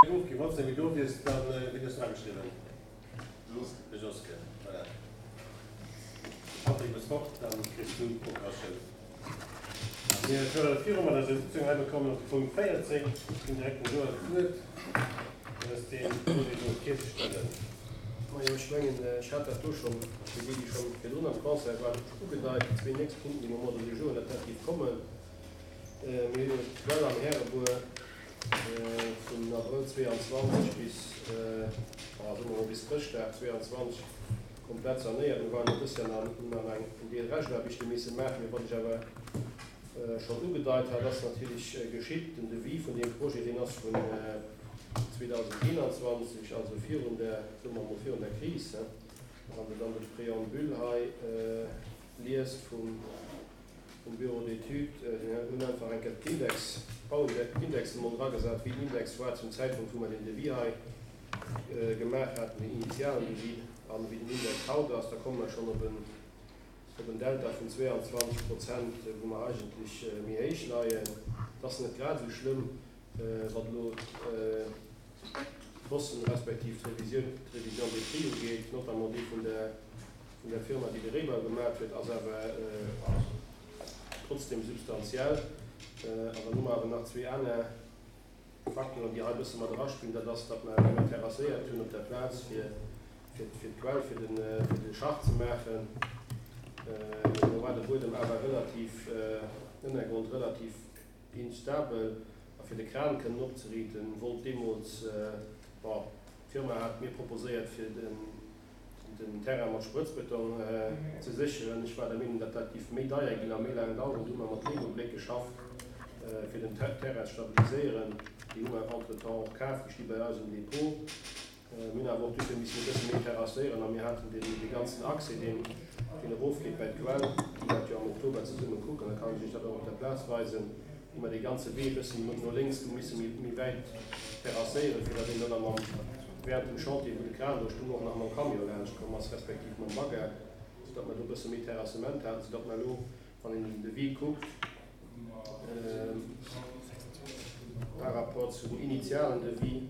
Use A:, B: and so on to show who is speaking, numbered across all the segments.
A: Ofginn. Wann s de méi do wiers, da wéi hues du ageschriwwen? De Joske, voilà. Patrick, bass fort, da kriss du d'Procuratioun. Mir fuere viru mat eiser Sitzung. Hei bekommen op de Punkt 14. Ech ginn direkt dem Joël d'Wuert, fir eis dee Projet do virzestellen.
B: Majo, ech mengen, ech hat dat do schonn, fir déi, déi schonn virdrun am Conseil waren, ugedeit, déi zwee nächst Punkten, déi mer um Ordre du jour hunn, dat dat géif kommen. Mir hunn jo d'Quell am Härebuer vun Abrëll 22 bis, soe mer mol, bis Chrëschtdag 22 komplett sanéiert. Mir waren jo dëst Joer nach, hunn nach eng Deel Reschtaarbechte misse maachen. Mee wat ech awer schonn ugedeit hat, ass natierlech geschitt, Den Devis vun deem Projet, deen ass vun 2021, also virun der, soe mer mol, virun der Kris. Wann Der dann de Préambule hei liest vum. vum Bureau d'études, déi hunn einfach eng Kéier d'Index, d'Indexen emol dragesat, wéi den Index war zum Zäitpunkt, wou mer deen Devis hei gemaach haten, deen initialen Devis, an wéi den Index haut ass. Da komme mer schonn op en, op en Delta vun 22 Prozent, wou mer eigentlech méi héich leien. Et ass net grad esou schlëmm, wat elo d'Posten respektiv d'Revisioun, d'Révision des prix ugeet, notamment déi vun der, vun der Firma, déi de Réibau gemat huet, ass awer trotzdem substantiell. An dann hu mer awer nach zwee aner Facteuren, déi hei e bësse mat eraspillen. Dat ass, datt mer wéi mer terrasséiert hunn op der Plaz, fir d'Quell, fir de Schacht ze maachen, do war de Buedem awer relativ, den Ënnergrond relativ instabel. A fir de Kran kënnen opzeriiten, wollt deemools, bon, d'Firma hat mir proposéiert, fir den, den Terrain mat Sprëtzbeton ze sécheren. Ech war der Meenung, datt dat giff méi deier ginn a méi laang daueren. Du hu mer mat Lego-Bléck geschafft, fir den Terrain ze stabiliséieren. Déi hu mer entretemps och kaf, déi sti bei eis um Depot. Mir hunn awer och dofir missen e bësse méi terrasséieren a mir haten dee ganzen Accès, deen erofgeet bei d'Quell, déi dat jo am Oktober zesumme kucken, da kann ech Iech dat och op der Plaz weisen, hu mer dee ganze Wee e bëssen no lénks du misse méi wäit terrasséieren, fir datt een dann am während dem Chantier, wou de Kran do stung, och nach mam Camion laanscht komm ass, respektiv mam Bagger, soudatt mer do e bësse méi Terrassement haten, soudatt mer elo, wann een den Devis kuckt, par rapport zu dem initialen Devis,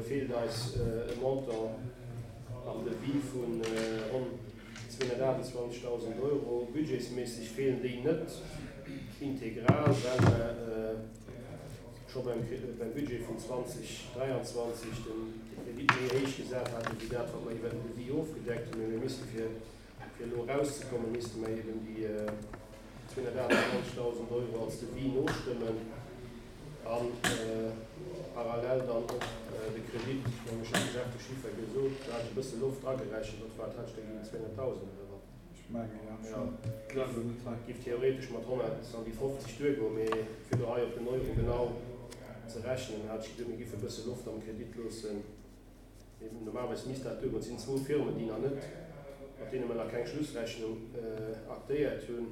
B: feelt eis e Montant am Devis vu ronn 228.000 Euro. Budgetsméisseg feelen déi net integral, well mer scho beim Budget vun 2023 de Kredit méi héich gesat haten, wéi dat, wat mer iwwer den Devis ofgedeckt hunn. Mee mir misste fir elo erauszekommen, misste mer eben déi 228.000 Euro als Devis nostëmmen a parallel dann och de Kredit, ech mengen, ech hat de Jacques de Schiffer gesot, do hat ech e bësse Loft dragerechent, wat war et, hat ech der ginn 200.000 oder wat?
C: Ech mengen, jo. Ech hunn elo net hei.
B: Giff theoretesch mat 150 duergoen, mee fir elo hei op den Euro genau ze rechnen, hat ech geduet, mir giffe e bësse Loft am Kredit loossen. Mee normalerweis misst dat duergoen. Et sinn zwou Firmen, déi nach net, mat deene mer nach keng Schlussrechnung aktéiert hunn,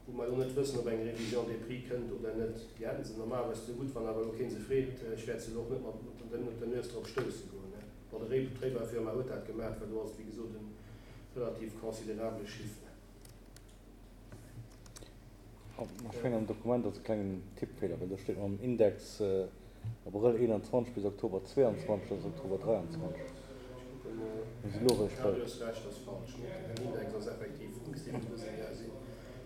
B: wou mer elo net wëssen, ob eng Révision des prix kënnt oder net. Déi hätte se normalerweis zegutt, wann awer elo kee se freet. Ech wäert se elo och net mat der Nues drop stousse goen. Bon, de Réibaufirma huet dat gemaach, well do ass et, wéi gesot, e relativ considerabele Chiffre.
D: Ech mengen am Dokument ass e klengen Tippfeeler, well do steet mam Index Abrëll 21 bis Oktober 22, dat ass Oktober 23. Mir si lo eréischt
B: bei. Jo, du hues Recht, ass falsch. Den Index ass effektiv sinn.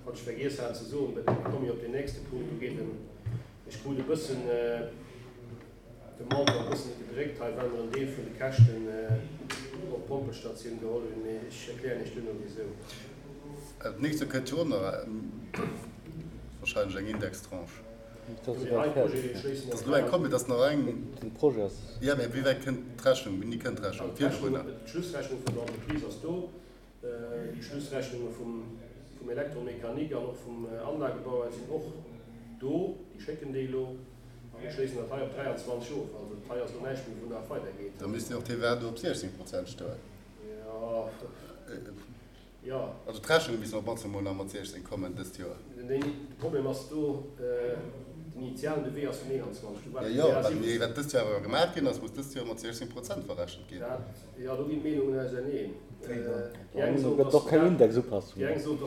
B: Wat ech vergiess hat ze soen, da komme ech op deen nächste Punkt, do geet en, ech krut e bëssen de Montant e bëssen gedréckt hei, well mer en Deel vun de Käschten op d'Pompelstatioun geholl hunn, mee ech erklären Iech duerno wisou.
E: Dat nächst Joer kënnt jo och nach wahrscheinlech eng Indextranche.
B: Ass
E: elo eng komm, mee et ass nach eng. Den Projet ass. Jo, mee wéi wäit kënnt d'Rechnung, wéini kënnt d'Rechnung?
B: Virdrun? D'Schlussrechnung vun der Entreprise ass do. Déi Schlussrechnunge vum Electromécanique an och vum Anlagebauer sinn och do. Déi schécken déi elo a mir schléissen dat hei op 23 of. Also hei ass elo näischt méi, wou nach weidergeet.
E: Da misst jo och d'TVA do op 16 Prozent stoen.
B: Jo, jo.
E: Also d'Rechnunge missten op mannst emol nach mat 16 kommen dëst Joer.
B: De Problem ass do, den initialen Devis ass vun 21.
E: Do war d'TVA 17. Jo, mee wat dëst Joer awer gemaach ginn ass, muss dëst Joer mat 16 Prozent verrechent ginn.
B: Dat Jo, do ginn d'Meenungen auserneen. Déi eng soen, dass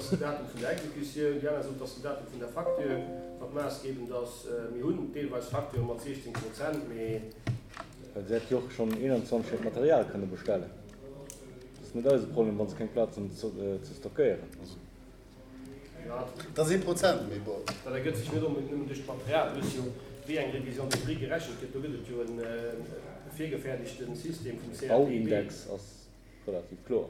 B: den Datum vun der Exekutioun, déi aner soen, dass den Datum vun der Facture, wat maassgebend ass. Mir hunn deelweis Facture mat 16 Prozent, mee.
D: Well se hätt jo och schonn 21 hiert Material kënne bestellen. Dat ass net eise Problem, wa se keng Plaz hunn ze stockéieren. Also.
E: Dat ass ee Prozent, mee bon.
B: Dat ergëtt sech net onbedéngt nëmmen duerch d'Material. Du hues jo, wéi eng Révision des prix gerechent gëtt, do gëtt et jo e virgefäerdegte System vum CRTB.
D: Bauindex ass relativ kloer.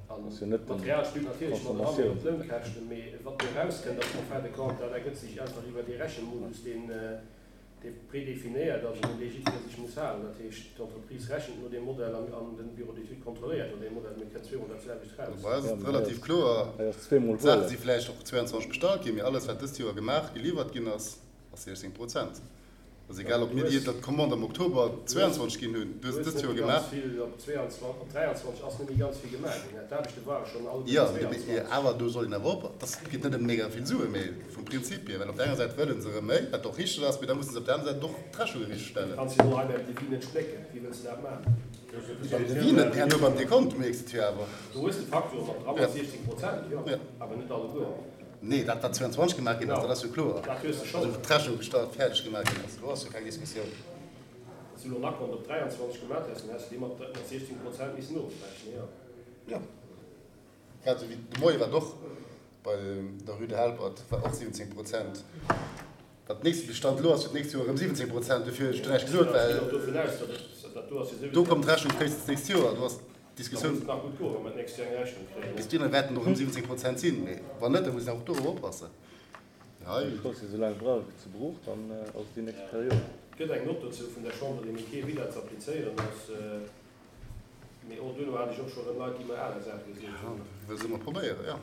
B: An d'Material spillt natierlech mat eran, och d'Lounkäschten, mee wat do erauskënnt ass en fin de compte, dat ergëtt sech einfach iwwer dee Rechenmodus, deen dee prédéfinéiert ass an un dee jiddweree sech muss halen. Dat heescht, d'Entreprise rechent no deem Modell an de Bureau d'études kontrolléiert no deem Modell. Mir kënnt zweemol dat selwecht raus.
E: Bei eis ass et relativ kloer, d'Saache si vläicht och 22 bestallt ginn, mee alles wat dëst Joer gemaach, geliwwert ginn ass, ass 16 Prozent. Ass egal, ob mir déi Commande am Oktober 22 ginn hunn, du hues et dëst Joer gemaach.
B: Op 23 ass net méi ganz vill gemaach ginn. D'Aarbechte ware schonn
E: all op 22. Jo, awer do soll een awer op, dass et geet net ëm mega vill Suen, mee vum Prinzip hier, well op der enger Säit wëlle se erëm méi, wat och richteg ass, mee da musse se op der aner Säit och d'Rechnung richteg stellen.
B: Du kanns jo elo hei beim Devis net splécken. Wéi wëlls de dat maachen?
E: Beim Devis net, mee herno beim Dekont mierks de et jo awer.
B: Do hues de d'Facture mat dran, mat 16 Prozent, jo, awer net alleguer.
E: Nee, dat wat 22 gemaach ginn ass, dat ass jo kloer. Also wou d'Rechnung gestallt, fäerdeg gemaach ginn ass, do ass jo keng Diskussioun.
B: Wann s du elo en Akkont op 23 gemaach häss, dann häss du dee mat 16 Prozent missen ofrechnen, jo.
E: Jo. Grad esou wéi de Moie wat och bei der Rue de Helpert war och 17 Prozent. Wat nächste Bestand elo ass fir d'nächst Joer erëm 17 Prozent. Dofir hunn ech do näischt gesot, well do kommt d'Rechnung fréistens d'nächst Joer. Do ass d'Diskussioun. Bis dohinner wäerten och erëm 17 Prozent sinn. Mee wann net, da muss een och dorop oppassen.
D: Hei. Ech wosst, esou laang brauch ech ze brooch, dann ass et déi nächst Period.
B: Et gëtt eng Nott dozou vun der Chambre des Métiers, wéi dat ze applizéieren ass. Mee och duerno hat ech och scho rëm Leit, déi mer aner Saache gesot hunn.
E: Wëll se emol probéieren, jo.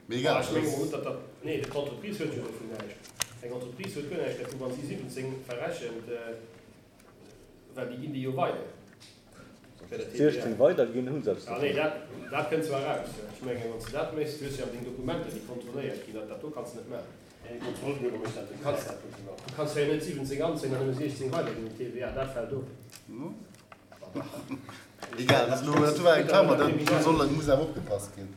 E: Mee egal.
B: Ech menge mol net, datt dat, nee, d'Entreprise huet jo dovun näischt. Eng Entreprise huet guer näischt dervu, wa si 17 verrechent, well déi ginn déi jo weider.
D: Fir der TVA. 16 weiderginn, hu se eppes
B: Ah nee, dat, dat kënnt zwar eraus. Ech mengen, wann s de dat méchs, du hues jo awer deng Dokumenter, déi kontrolléiert ginn, dat, dat do kanns de net maachen. Du kanns jo net 17 anzéien an nëmme 16 weiderginn un d'TVA, dat fält of.
E: Egal, dat ass elo, dat war eng Klammer, do soll, muss awer opgepasst ginn.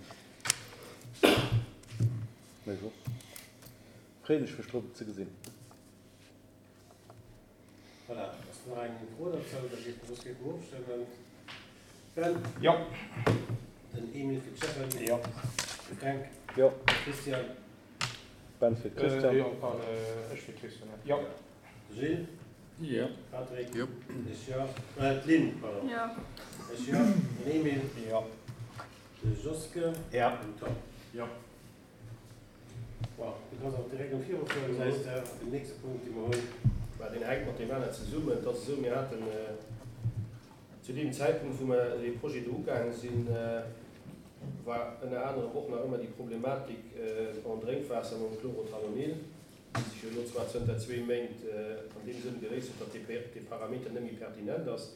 D: Mech och. Freeën ech mech drop et ze gesinn.
A: Voilà, ass nach eng Fro dozou? Da géife mer soss géife mer ofstëmmen. Ben?
C: Jo.
A: Den Emil fir d'Stefanie?
C: Jo.
A: De Fränk?
D: Jo.
A: De Christian?
D: Ben fir d'Christian?
C: Jo, pardon, ech fir d'Christian, jo.
A: De Gilles?
C: Jo.
A: Patrick?
E: Jo.
A: Ech jo. D'Lynn, pardon.
F: Jo.
A: Ech jo. Den Emil?
C: Jo.
A: De Joske?
C: Jo.
A: Den Tom?
C: Jo.
A: Bon, du kanns och direkt um virufueren, gesäis de, den nächste Punkt, dee mer hunn.
B: Mä deen hänkt mat deem aner zesummen. Et ass esou, mir haten zu deem Zäitpunkt, wou mer dee Projet do ugaange sinn, war ënner anerem och nach ëmmer déi Problematik en Drénkwaasser mam Chlorothalonil, déi sech jo elo zwar zënter zwee Méint an deem Sënn geléist huet, datt dee Parameter net méi pertinent ass.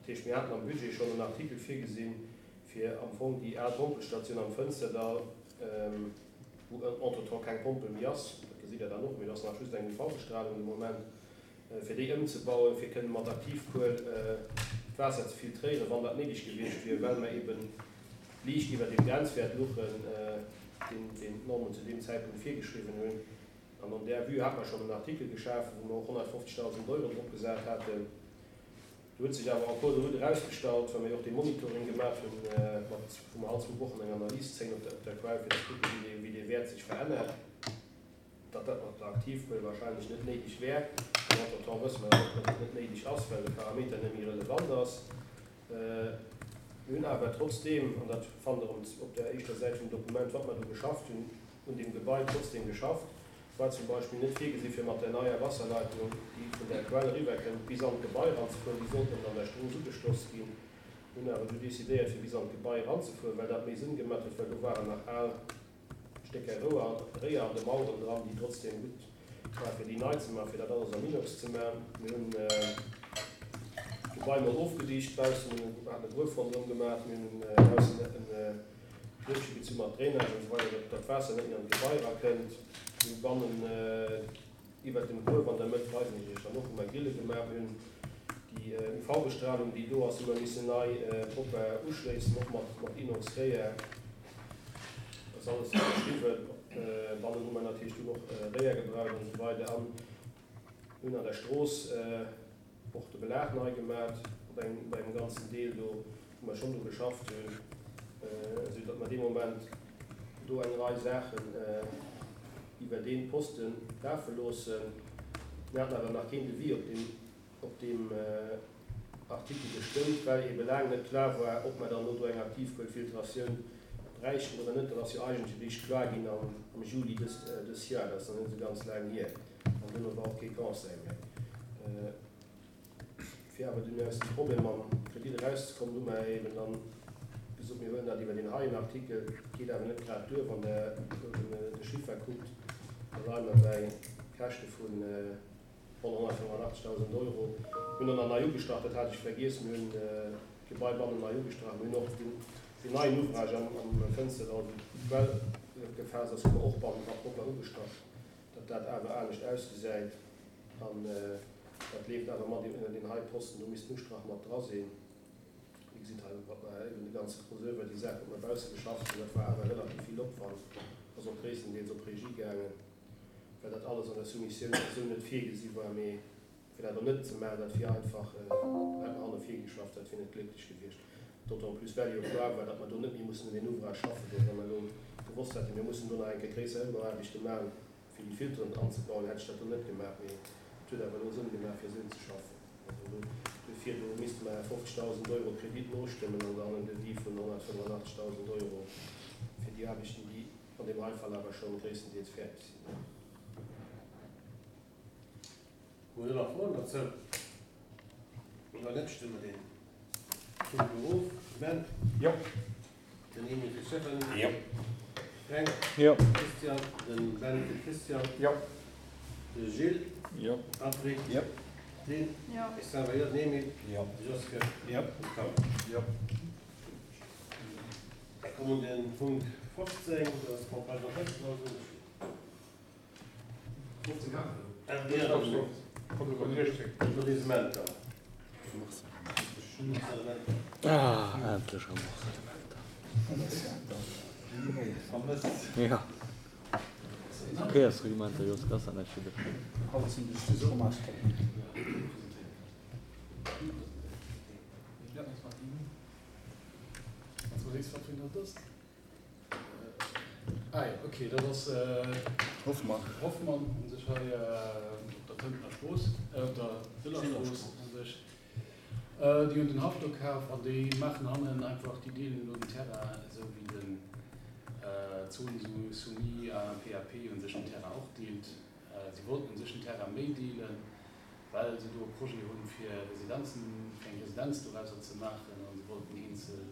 B: Dat heescht, mir haten am Budget schonn en Artikel virgesinn, fir am Fong déi al Pompelstatioun am Fënsterdall, wou entretemps keng Pompel méi ass, dat gesitt Der dann och, mee do ass nach just eng UV-Bestralung de Moment, fir déi ëmzebauen, fir kënnen mat Aktivkuel d'Waasser ze filtréieren, wann dat néideg gewiescht wier, well mer eeben liicht iwwer deem Grenzwäert luchen, deen d'Normen zu deem Zäitpunkt virgeschriwwen hunn. An an där Vue hat mer schonn en Artikel geschafen, wou mer och 150.000 Euro drop gesat haten. Do huet sech awer en cours de route erausgestallt, well mir jo och dee Monitoring gemaach hunn, mat, wou mer all zwou Wochen eng Analys zéien op der Quell, fir ze kucken, wéi dee, wéi dee Wäert sech verännert, datt dat mat der Aktivkuel wahrscheinlech net néideg wär. An entretemps wësse mer och, datt et net néideg ass, well de Parameter net méi relevant ass. Mir hunn awer trotzdeem, an dat fannt Der op der éischter Säit vum Dokument, wat mer do geschafft hunn, un deem Gebai trotzdeem geschafft. War zum Beispill net virgesi fir mat der neier Wasserleitung, déi vun der Quell eriwwer kënnt, bis an d'Gebai eranzefueren. Déi sollt nëmmen an der Strooss ugeschloss ginn. Mir hunn awer du decidéiert fir bis an d'Gebai eranzefueren, well dat méi Sënn gemat huet, well do waren nach al Stécker Rouer, Réier an de Maueren dran, déi trotzdem gutt war fir déi nei ze maachen, fir dat alles am Inox ze maachen. Mir hunn d'Gebai mol ofgedicht baussen, haten e Gruef ronderëm gemat, mir hunn baussen en Gruefche gezu mat Drainage an esou weider, datt dat Waasser net méi an d'Gebai erakënnt. Mir hu bannen iwwert dem Gruef an der Mëtt, weisen ech iech dann och, hu mer Grille gemaach. Mir hunn déi UV-Bestralung, déi do ass, hu mer missen nei propper uschléissen, och mat mat Inox-Réier. Dat ass alles beschriwwen. Bannen hu mer natierlech dunn och Réier gebraucht an esou weider. An hunn an der Strooss och de Belag nei gemaach. Op engem, bei engem ganzen Deel do, wou mer schonn dru geschafft hunn, esou datt mer dee Moment do eng Rei Saachen iwwer dee Poste lafe loossen. Mir haten awer nach keen Devis op deem, op deem Artikel gestëmmt, well eebe laang net klar war, ob mer dann elo do eng Aktivkuelfiltratioun bräichten oder net. Dat ass jo eigentlech eréischt kloer ginn am Juli dës, dës Joer. Dat ass nach net esou ganz laang hier. An duerno war och kee Conseil méi. Fir awer dunn aus dem Problem mam Kredit erauszekommen, hu mer eben dann gesot, mir huelen dat iwwer deen heien Artikel. Geet awer net grad duer, wann Der elo de Chiffer kuckt, da leie mer bäi Käschte vu ronn 185.000 Euro. Mir hunn och nach nei ugestrach, dat hat ech vergiess, mir hunn d'Gebai bannen nei ugestrach. Mir hunn och deen neien Ouvrage am Fënsterdall, wou d'Quell gefaasst ass, hu mer och bannendra propper ugestrach, datt dat awer anescht ausgesäit. An dat leeft awer mat ënner deen hei Posten, do misst den Ustrach mat dra sinn. Dir gesitt hei, wat mer eben de ganze Crossover, déi Saach, wat mer bausse geschafft hunn, dat war awer relativ vill Opwand, ass och gréisstendeels op Regie gaangen, well dat alles an der Soumissioun esou net virgesi war. Mee fir dat och net ze maachen, dat wier einfach, do hätt mer hanne virgeschafft, dat wier net glécklech gewiescht. D'autant plus well jo kloer war, datt mer do net méi mussen un deen Ouvrage schaffen do. Wa mer elo gewosst hätten, mir mussen do nach eng Kéier gréisser Ëmbauaarbechte maachen, Fir déi Filteren anzebauen, hätt ech dat do net gemaach, mee et huet awer elo Sënn gemaach, fir esou ze schaffen. Also do, duerfir, do misste mer 50.000 Euro Kredit nostëmmen an dann en Devis vun 185.000 Euro fir déi Aarbechten, déi an deem hei Fall awer scho gréisstendeels fäerdeg sinn.
A: Hutt Der nach Froen dozou? Wann net, stëmme mer deen Punkt elo of. Ben?
C: Jo.
A: Den Emil fir d'Stéphanie?
C: Jo.
A: Fränk?
D: Jo.
A: Christian? Den Ben fir d'Christiane?
C: Jo.
A: De Gilles?
C: Jo.
A: Patrick?
E: Jo.
A: D'Lynn?
F: Jo.
A: Ech selwer jo. Den Emil?
D: Jo.
A: De Joske?
C: Jo.
A: An de Tom?
C: Jo.
A: Da komme mer un den Punkt 15, dat ass d'Campagne d'Enquête.
D: Ah, endlech Remboursementer. Ja. Verkéiersreglementer, Jos, ass dat näischt fir dech?
G: Ah jo, ok, dat ass
E: Hoffmann.
G: Hoffmann u sech hei op der Tëntener Strooss, op der Sëller Strooss u sech. Déi hunn den Haff do kaf an déi maachen hannen einfach, déi deelen elo den Terrain esou wéi den Zone soumise à un PAP u sech den Terrain och deelt. Si wollten u sech den Terrain méi deelen, well se do e Projet hunn fir Residenzen, fir eng Residenz dorauser ze maachen a se wollten eenzel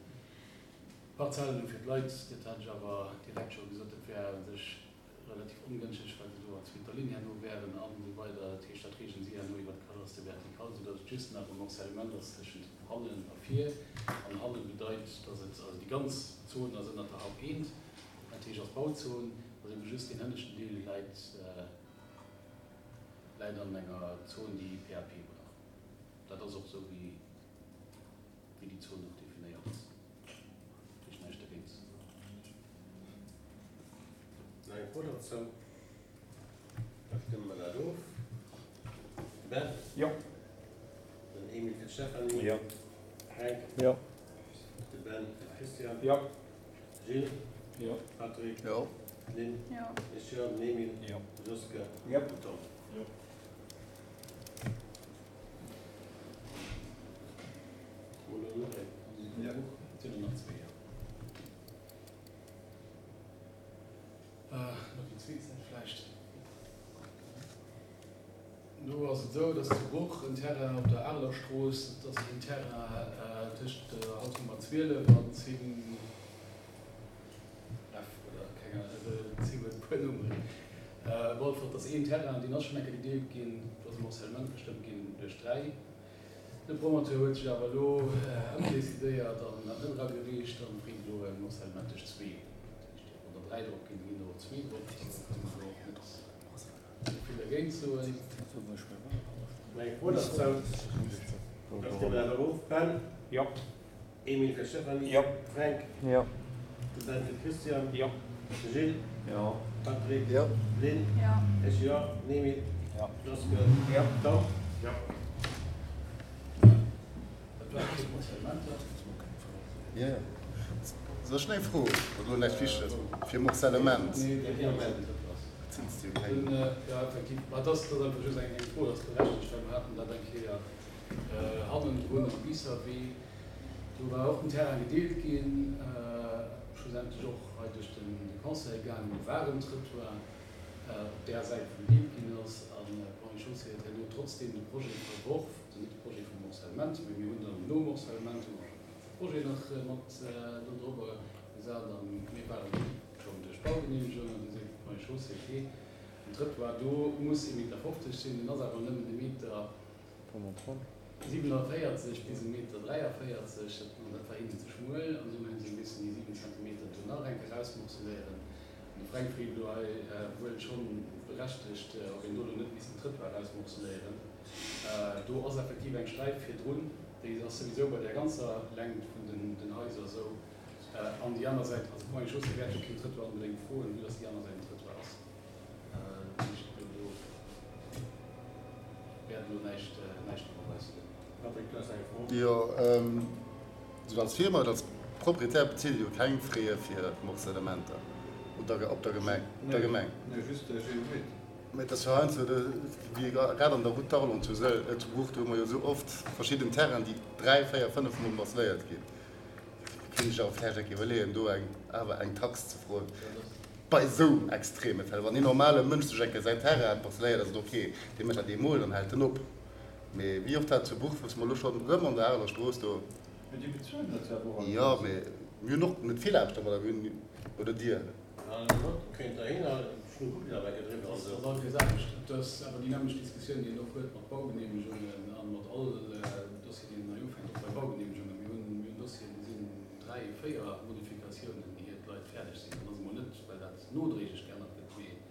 G: Parzellen hu fir d'Leit, dat hat ech awer direkt scho gesot, dat wär u sech relativ ongënschteg, well se do an zweeter Linn herno wären an esou weider. Dat heescht, dat reegelen si herno iwwer d'Cadastre vertical, soudatt et just nach e Morcellement ass tëschent hannen a vir. An hanne bedeit, datt et, also déi ganz Zon ass ënnert der Haupt eent, dat heescht ass Bauzon, ass ebe just deen hënneschten Deel läit, läit an enger Zon, déi PAP brauch. Dat ass och esou wéi. wéi déi Zon och definéiert ass. Dat heescht näischt dergéint.
A: Nach eng Fro dozou? Da stëmme mer dat of. De Ben?
C: Jo.
A: Den Emil fir d'Stéphanie?
D: Jo.
A: Fränk?
D: Jo.
A: De Ben fir d'Christiane?
C: Jo.
A: Gilles?
C: Jo.
A: Patrick?
E: Jo.
A: D'Lynn?
F: Jo.
A: Ech jo. Den Emil?
C: Jo.
A: De Joske?
C: Jo.
A: Den Tom?
C: Jo.
G: Do ass et esou, dass zu Bruch en Terrain op der Areler Strooss, dat ass een Terrain tëscht der Haus Nummer 12 an 10 F oder keng Ahnung, also et si wuel e puer Nummeren. Walfort ass een Terrain, deen ass schonn eng Kéier gedeelt ginn, do ass e Morcellement gestëmmt ginn duerch 3. De Promoteur huet sech awer elo ëmdecidéiert an dat net eragereecht an freet elo e Morcellement duerch zwee. Dat heescht, wann der 3 drop ginn, da ginn der och zwee drop. Do kënne mer elo och net esou vill dergéint soen.
A: Meng Fro dozou, Da stëmme mer dat erof. Ben?
C: Jo.
A: Emil fir Stéphanie.
C: Jo.
A: Fränk.
D: Jo.
A: De Ben fir Christian.
C: Jo.
A: De Gilles.
D: Jo.
A: Patrick.
E: Jo.
A: Lynn.
F: Jo.
A: Ech jo. Den Emil.
C: Jo.
A: Joske.
C: Jo.
A: Tom.
C: Jo.
G: Dat war. war fir d'Morcellementer.
E: Jo, jo. Soll ech eng Fro, wat elo näischt Wichteges ass, fir Morcellement?
G: Nee, dat ass
E: jo keng.
G: Jo, effektiv. Mä et ass einfach just eng Fro, dat ass berechtegt, well mer haten dat eng Kéier hannendrun am Biisserwee. Do war och den Terrain gedeelt ginn, schlussendlech och hei duerch de Conseil gaangen. Do war en Trëttoir op där Säit, wou gedeelt ginn ass. An d'Ponts et Chaussées huet herno trotzdeem de Projet verworf, also net de Projet vum Morcellement, mä mir hunn dann nom Morcellement hu mer de Projet nach mat do drobber gesat a mir waren schonn duerch d'Baugeneemegung an du seet d'Ponts et Chaussées, okay, den Trëttoir do muss ee Meter 50 sinn, deen ass awer nëmmen e Meter 47 bis e Meter 43, an dat war hinnen ze schmuel, an dunn hu se missen déi 7 Zentimeter do nach eng Kéier rausmorceléieren. An de Fränk freet elo hei wuel schonn berechtegt, ob een do elo net misst den Trëttoir rausmorceléieren. Do ass effektiv eng Sträif virdrun, déi ass souwisou bei där ganzer Längt vun den Haiser esou. An déi aner Säit, also d'Ponts et Chaussées wäert jo keen Trëttoir onbedéngt froen, vue dass déi aner Säit en Trëttoir ass. Dat heescht, do wäert elo näischt drop ausgoen.
A: Patrick, du has eng Fro?
E: Jo, esou als Firma oder als Proprietär bezilt Dir jo keng Frais fir d'Morcellementer op der Gemeng, op der Gemeng?
F: Nee, just de Geometer.
E: Mä et ass jo heiansdo, wéi grad an der Route d'Arlon zu Sëll, zu Bruch, do hu mer jo esou oft verschidden Terrainen, déi dräi, véier, fënnef Mol morceléiert ginn. Kéint ech awer vläicht eng Kéier iwwerleeën, do eng awer eng Tax ze froen. Bei esou extreme Fäll, wann een normale Mënsch sech eng Kéier säin Terrain parcelléiert, ass et ok, dee mécht dat eemol, dann hält en op. Mee wéi oft dat zu Buch, wou se mer elo schonn erëm an der Areler Strooss do.
F: Mee déi bezuelen dat jo awer och
E: alleguerten. Jo, mee mir hunn och net vill Aarbecht domadder, mir hunn, oder Dir?
G: Dat ass all Kéiers anescht. Et ass awer déi nämmlecht Diskussioun, déi een och huet mat Baugeneemegungen a mat all Dossier, deen een hei ufänkt, och bei Baugeneemegungen. Mir hunn Dossieren, do sinn dräi, véier Modifikatiounen, ier d'Leit fäerdeg sinn. Dat ass emol net, well dat nodréiglech geännert gëtt, mee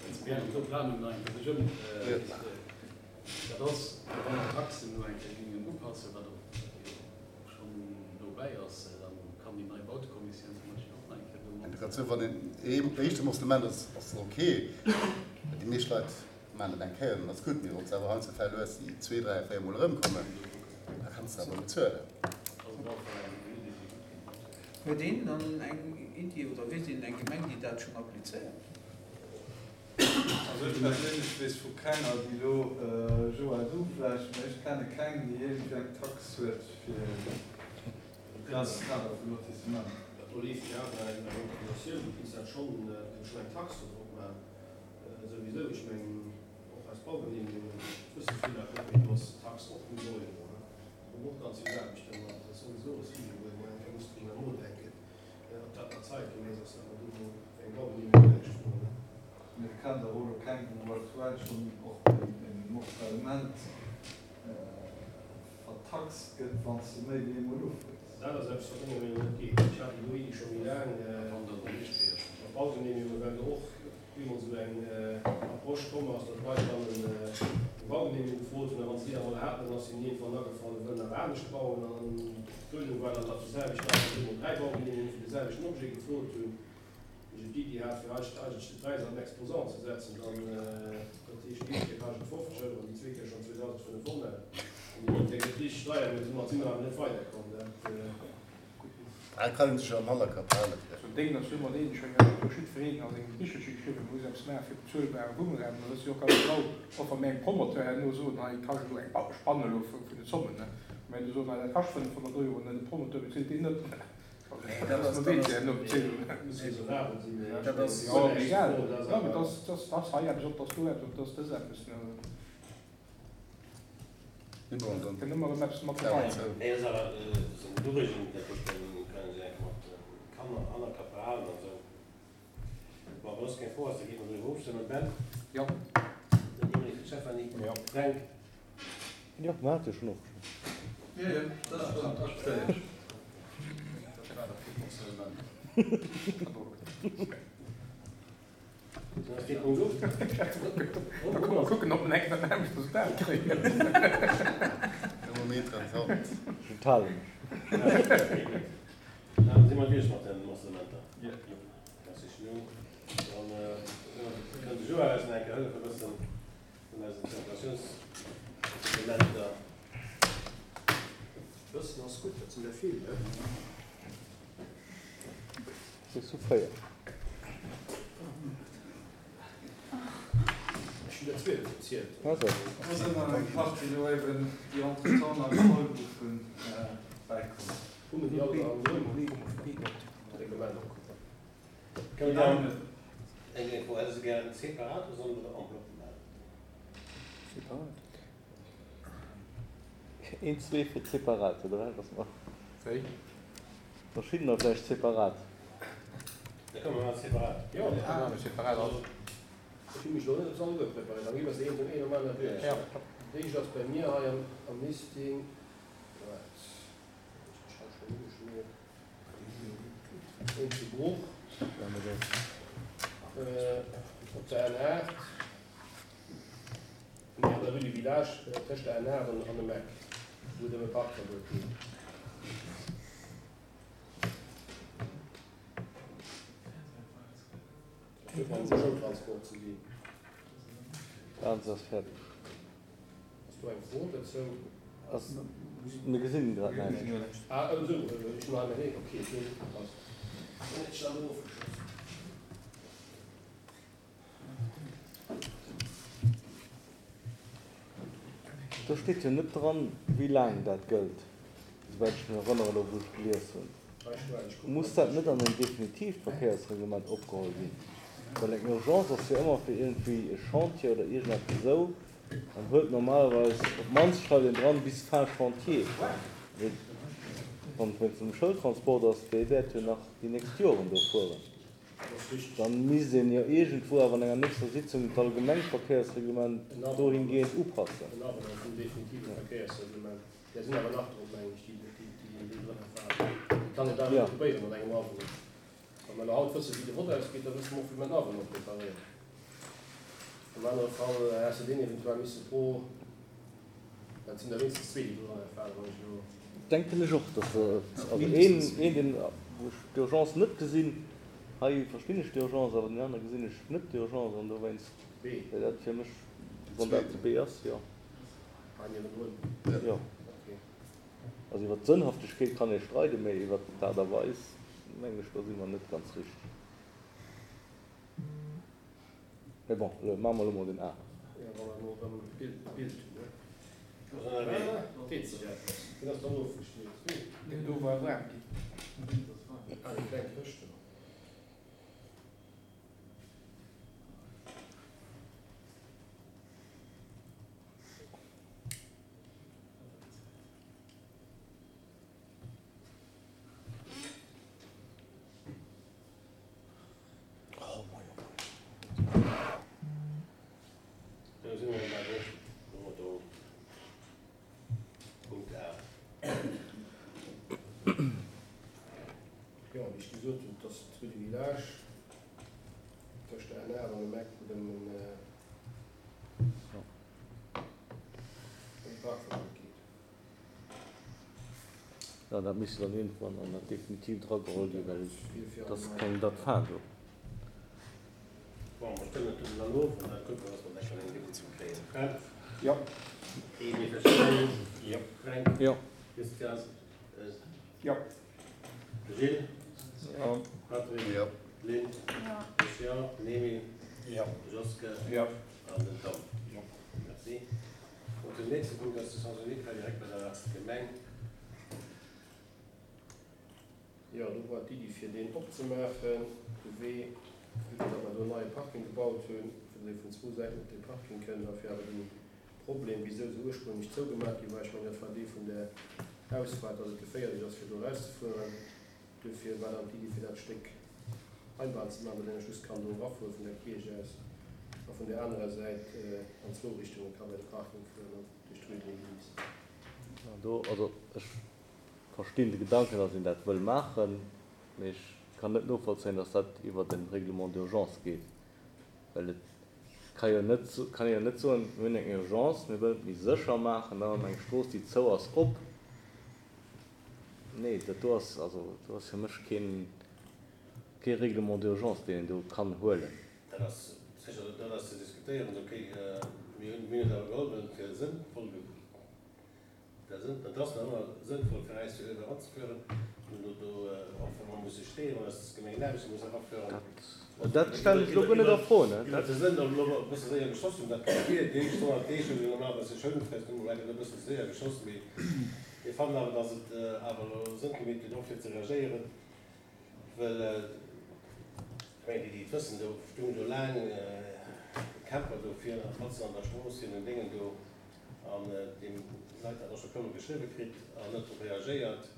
G: well se während der Planung nach eng Kéier sech ëm. Dat ass, wa mer d'Taxen elo eng Kéier géingen upassen, wat och jo schonn dobäi ass, da kann déi nei Bautekommissioun zum Beispill och nach eng Kéier do mat.
E: Grad esou, wann een ee éischte Morcellement ass, ass et ok. Déi meescht Leit maachen et eng Kéier, dann ass gutt. Mee wann s de awer heiansdo Fäll hues, déi zwee, dräi, véier Mol erëmkommen, da kanns de awer bezuelen.
H: Huet een dann eng Iddi oder weess een eng Gemeng, déi dat schonn applizéiert?
F: Also ech perséinlech weess vu kenger, déi elo, Joa du vläicht, mä ech kenne keng, déi iergendwéi eng Tax huet fir den Kader vu Lotissement.
B: Do leeft jo awer eng Regulatioun, du kinns dat schonn, du kinns schonn eng Tax do drop maachen, souwisou. Ech mengen och aus Baugenehmigungen wësse vill Leit net, mee do ass d'Tax och 0 Euro. Do hunn och ganz vill Aarbechten, an dat ass souwisou e Sujet, wou ee mol eng Kéier muss driwwer nodenken. Ob dat nach zeitgemäss ass, dat mer do mol eng Baugenehmegung näischt froen.
F: Mee et kennt awer och elo keng, wou aktuell schonn och e Morcellement vertaxt gëtt, wann s de méi wéi eemol ufrees.
B: Dat ass eppes, wat menger Meenung no net geet. Ech hat déi do Iddi scho méi laang mat Baugenehmegunge, well do och bemol esou eng Approche komm ass, datt d'Leit dann eng Baugenehmegung gefrot hunn a wa se déi da mol haten, dann ass hinnen iergendwann agefall, se wëllen awer anescht bauen an d'Duerno war dann, datt déi selwecht Leit dann bemol 3 Baugenehmegunge fir de selwechten Objet gefrot hunn. Wéi ech d'Iddi hat, fir eigentlech de Präis an den Exposant ze setzen, dann, dat heescht, déi éischt Kéier kascht et 50 Euro an déi zweet Kéier schonn 2.500 an déi drëtt Kéier gëtt et richteg deier, mee domat si mer awer net weiderkomm. Dat.
E: Dat kann een sech am Hannerkapp halen.
C: Sou en Déng ass jo ëmmer deen, ech mengen, dat huet jo jiddwereen a sengem Bichelche geschriwwen, muss eppes maache fir bezuelbare Wunnraum. Dat ass jo och ganz genau, och wa mir engem Promoteur herno soen, hei kascht elo eng Spann elo vun den Zommen, ne, mä du soen, hei dat kascht 500 Euro, ne, de Promoteur bezilt deen net.
D: Jo, mer hate jo schonn ofgestëmmt.
F: Jo, jo, dat ass schonn akzeptéiert.
B: Dat war da fir d'Morcellement.
C: Da komm mer kucken, ob mer eng dat nämmlecht Resultat kréien.
E: Thermometer an d'Hand.
D: Ech enthale mech.
A: Da si mer duerch mat den Morcellementer. Merci Gino. Dann kënnt de Joël eis nach eng Kéier hëllefe bëssen vun eisen Zirkulatiounsdokumenter.
B: Bëssen ass gutt, dat sinn der vill, ne?
D: Bis zu 4.
B: Ech hunn der 12 gezielt.
D: Also.
F: Do sinn dann eng Partie elo eben, déi entretemps nach geholl goufen, bäikomm.
B: Hu mir déi all am Reglement?
A: Kënne mir dann eng eng Fro, Hätt Der se gären separat oder solle mer dat en bloc maachen?
D: Separat. Een, zwee fir separat, oder wat ass nach?
C: Wéi?
D: Verschiddener vläicht separat.
A: Da kënne mer maachen separat.
B: Jo,
C: da maache mer separat.
B: Also, ech hu mech elo net op s'alleguer preparéiert. Dann gi mer se een nom een nom aner duerch. D'éischt ass bei mir hei am Listing, wat, ech mech hei schonn ugeschmiert. Een zu Bruch op der N8, nee an der Rue du Village, tëscht der N8 an dem Eck, wou et ëm e Parkverbuet geet. Dat huet mam Schoultransport ze dinn.
D: Ganz ass fäerdeg.
B: Ass do eng Fro dozou?
D: Ass, mir gesinn grad näischt.
B: Ah, esou, ech hunn hei mäin eege, okay, ech hunn net opgepasst. Dann hätt ech dat elo ofgeschoss.
D: Do steet jo net dran, wéi laang dat gëllt, esouwäit ech mech erënnere elo wou ech gelies hunn. Muss dat net an en definitiivt Verkéiersreglement opgeholl ginn? Well eng Urgence ass jo ëmmer fir iergendwéi e Chantier oder iergendeppes esou an huet normalerweis, op d'mannst schreift een dran, bis fin chantier. Mee wann et wéinst dem Schoultransport ass, dee wäert jo nach déi nächst Joren do fueren, da misst een jo iergendwou awer an enger nächster Sitzung d'allgemengt Verkéiersreglement dohingehend upassen.
B: En Avenant vum definitive Verkéiersreglement. Där sinn awer nach drop, mengen ech, déi déi drënner falen. Déi kann een da erëm probéieren mat engem Avenant. Wa mer elo haut wëssen, wéi de Vott ausgeet, da wësse mer och, wéi mer den Avenant preparéieren. Am anere Fall häss de deen eventuell misse pro, dat sinn der wéinstens zwee, déi dorënner falen, wann ech elo.
D: Denken ech och, dass se, also een, een deen, wou ech d'Urgence net gesinn, hei verstinn ech d'Urgence, awer deen anere gesinn ech net d'Urgence an dowéinst wär dat fir mech, wann dat de B ass, jo.
B: Hei niewendrun?
D: Jo.
B: Okay.
D: Also iwwer d'Sënnhaftegkeet kann ee streiden, mee iwwer d'Aart a Weis, mengen ech, do si mer net ganz richteg. Mee bon, elo maache mer elo mol den A.
B: Jo, wa mer elo erëm d'Bild hunn, ne? Deet sech eppes. Deen ass dann ofgeschmiert.
C: Deen do war waarm ginn.
B: Ah, déi kleng Këscht do.
A: Do si mer bal och elo do. Punkt A.
B: Jo, wéi ech gesot hunn, et ass d'Rue du Village tëscht der N8 an dem Eck, wou dann en Parkverbuet geet.
D: Jo, dat misst dann iergendwann an dat Definitiivt erageholl ginn, well et ass keng Date fin do.
A: Bon, mer stëmmen dat dann of an da kucke mer, dass mer dat dann eng Sitzung kréien. Fred?
C: Jo.
A: Emile Verschoor? Jo. Fränk?
D: Jo.
A: Christian?
C: Jo.
A: Gilles?
F: Jo.
A: Patrick?
E: Jo.
A: Lynn?
I: Jo.
A: Ech jo. Den Emile?
C: Jo.
A: De Joske?
C: Jo.
A: An den Tom? Jo. Merci. Und den nächste Punkt ass de Sens unique hei direkt bei der Gemeng.
B: Jo, do war d'Iddi fir deen opzemaachen, de Wee, vue que datt mer do en neie Parking gebaut hunn, fir datt ee vun zwou Säiten op dee Parking kënnt a fir awer dee Problem, wisou se ursprünglech zougemaach gi war, ech mengen dat war dee vun der Ausfaart, datt et geféierlech ass fir do erauszefueren, duerfir war dann d'Iddi fir dat Stéck Einbahn ze maachen, datt een just kann do erafuere vun der Kierch aus a vun der anerer Säit an zwou Richtunge ka bei de Parking fueren an duerch d'Rue de l'Église.
D: Do, also ech verstinn de Gedanken, datt een dat wëll maachen, mee ech kann net novollzéien, datt dat iwwert e Règlement d'urgence geet, well et ka jo net, kann ee jo net soen, mir hunn eng Urgence, mir wëllen et méi sécher maachen, da maache mer eng Strooss, déi zou ass, op. Nee, dat do ass, also do ass fir mech keen, kee Règlement d'urgence, deen een do kann huelen.
A: Dat ass sécher, dat ass ze diskutéieren. Ok, mir hunn, mir hunn et awer geholl, well et fir sënnvoll. Dat ass nach ëmmer sënnvoll fir eis fir Uewe eranzefueren. Mir hunn do och wa mer musse steeën, wann eis Gemeng Aarbechte muss eraféieren.
D: Dat stellen ech elo guer net a Fro, ne?
A: Iwwert de Sënn, ob elo e bësse séier geschoss hunn, dat kann wier. Déi éischt 100 Deeg hunn se normalerweis sech schounfest, hu mer vläicht e bësse séier geschoss, mee mir fannen awer, datt et awer elo Sënn gemeet huet, och fir ze reagéieren, well ech mengen, déi, déi et wëssen, do stoung jo laang e Camper do vir matzen an der Strooss hir den Déngen do. An déi Leit dat och scho puermol geschriwwe kritt an net drop reagéiert.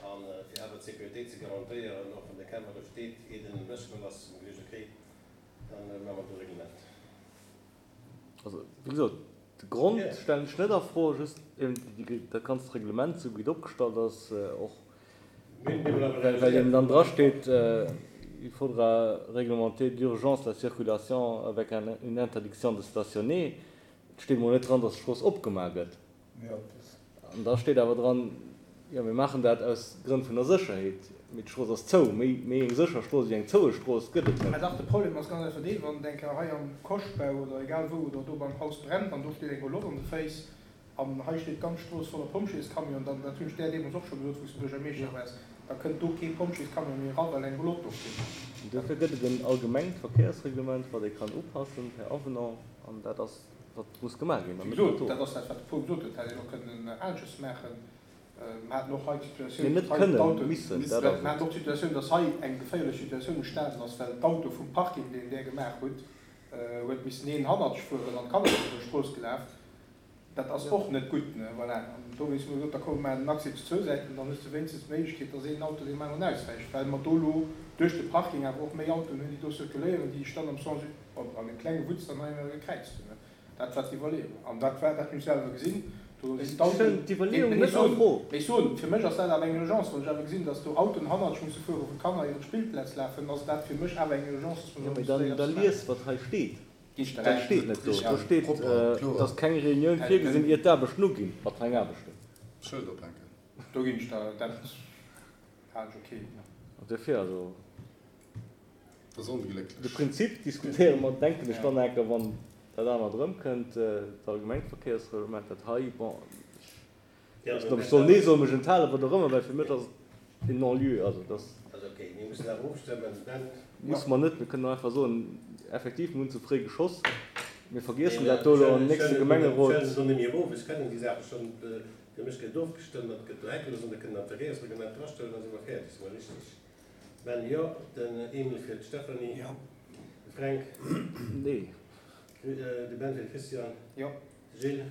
A: A fir awer d'Sécuritéit ze garantéieren, och wann de Camper do steet, ier den ewechgeholl ass, hu mer geduecht, okay, da maache mer do e Reglement.
D: Also, wéi gesot, de Grond stellen ech net a Fro, just eben dat ganzt Reglement, esou wéi et opgestallt ass, och well eben dann drasteet, il faudra réglementer d'urgence la circulation avec une interdiction de stationner. Et steet mol net dran, dass d'Strooss opgemaach gëtt. An da steet awer dran, jo mir maachen dat aus Grënn vun der Sécherheet, mee d'Strooss ass zou. Méi méi eng sécher Strooss wéi eng zoue Strooss gëtt et
C: net. Mä dach, de Problem ass ganz einfach deen, wann et eng Kéier hei am Koschtbau oder egal wou oder do beim Haus brennt an do steet eng Roulotte an de Féiss an hei steet d'ganz Strooss voller Pompjeescamion, dann, dat hunn ech där deemools och scho gesot, wou s de Buergermeeschter waars, da kënnt do kee Pompjeescamion méi era well eng Roulotte do steet.
D: An duerfir gëtt et en allgemengt Verkéiersreglement, wat ee kann upassen per Avenant. An dat ass, wat muss gemaach ginn, an
C: Wéi
D: net
C: gesot,
D: dat do.
C: dat ass dat, wat de Paul gesot huet, hätt een och kënnen anesches maachen. Mer haten och hei d'Situatioun,
D: Nee, net
C: datt hei
D: kënnen,
C: d'Autoen,
D: missen, dat ass
C: mer haten
D: et.
C: och d'Situatioun, datt hei eng geféierlech Situatioun entstanen ass, well d'Auto vum Parking, deen där gemaach hutt, huet missen een hannertsch fueren an d'Kanner sinn iwwer d'Strooss gelaf. Dat ass och net gutt, ne? Voilà. An dowéinst hu mer gesot, da komm, mer maachen den Accès zu zwou Säiten, dann hues de wéinstens d'Méiglechkeet, dass een Auto deem aneren auswäicht, well mer do elo duerch de Parking awer och méi Autoen hunn, déi do zirkuléieren, déi sech dann am Sens, bon, an deem klenge Wutz dann hei ëmmer gekräizt hunn, ne? Dat war d'Iwwerleeung. An dat war, dat hunn ech selwer gesinn, do sinn
D: Ech
C: d'Autoen,
D: stellen d'Iwwerleeung
C: nee, ech
D: net a
C: soen,
D: Fro.
C: mee ech soen, fir mech ass dat awer eng Urgence, wann ech awer gesinn, dass do Autoen hannertsch musse fueren, wou d'Kanner iwwer d'Spillplaz lafen, ass dat fir mech awer eng Urgence, dass mer
D: Jo,
C: do
D: mee
C: musse
D: dann,
C: séier
D: da
C: eppes maachen.
D: lies, wat hei steet.
C: Dat
D: steet net do. Do steet, dass keng Reunioun virgesinn, ier d'Aarbechten uginn. Wat fir eng Aarbechten?
E: Schëld ophänken.
C: Do ginn ech der, dat halen ech ok.
D: An duerfir, also.
E: Dat ass onglécklech.
D: De Prinzip diskutéiere mer, denken ech, dann enker, wann dat anert erëmkënnt, dat allgemengt Verkéiersreglement. Dat hei, bon, ech weess net, ob ech soll Nee soen, mech enthalen, wat och ëmmer, well fir mech ass et en Non-lieu. Also dat ass.
A: Also okay, mir mussen awer ofstëmmen. Ben.
D: Musse mer net. Mir kënnen och einfach soen, effektiv, mir hunn ze fréi geschoss, mir vergiessen dat do elo am nächste Gemengerot.
A: Ech stellen se net méi erof, ech kennen déi Saache schonn. Fir mech gëtt ofgestëmmt, dat gëtt do heckellos an da kënnen an d'Verkéiersreglement drastellen, da si mer fäerdeg. Si mer richteg? Ben, jo. Den Emil fir d'Stéphanie.
C: Jo.
A: De Fränk.
D: Nee.
A: De Ben fir de Christian.
C: Jo.
A: De Gilles.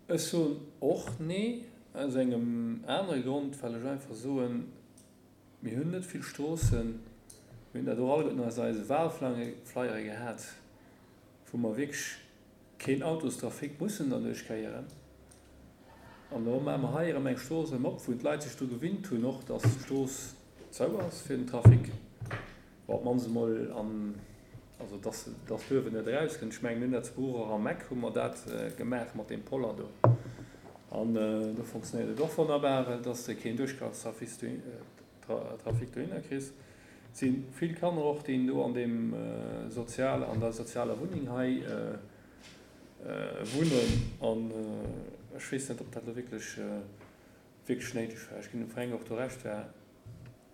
I: Ech soen och Nee, aus engem anere Grond, well ech einfach soen, mir hunn net vill Stroossen, mir hunn dat och alleguerten aus eise Wahlflyere gehat, wou mer wierklech keen Autostrafic mussen derduerch kréieren. An elo maache mer hei erëm eng Strooss erëm op, wou d'Leit sech dru gewinnt hunn och, dass d'Strooss zou ass fir den Trafic. Bon, op d'mannst emol an, also dass, dass d'Uewen net erauskënnt. Ech mengen, mir hunn dat zu Bruch och am Eck hu mer dat gemaach mat deem Poller do. An do fonctionnéiert et och wonnerbar, well dass de keen Duerchgangstrafic Trafic dohinner kriss. Et si vill Kanner och, déi do an deem sozial, an der sozialer Wunneng hei wunnen. An ech weess net, ob dat elo wierklech, wierklech néideg war. Ech ginn dem Fränk och do Recht, war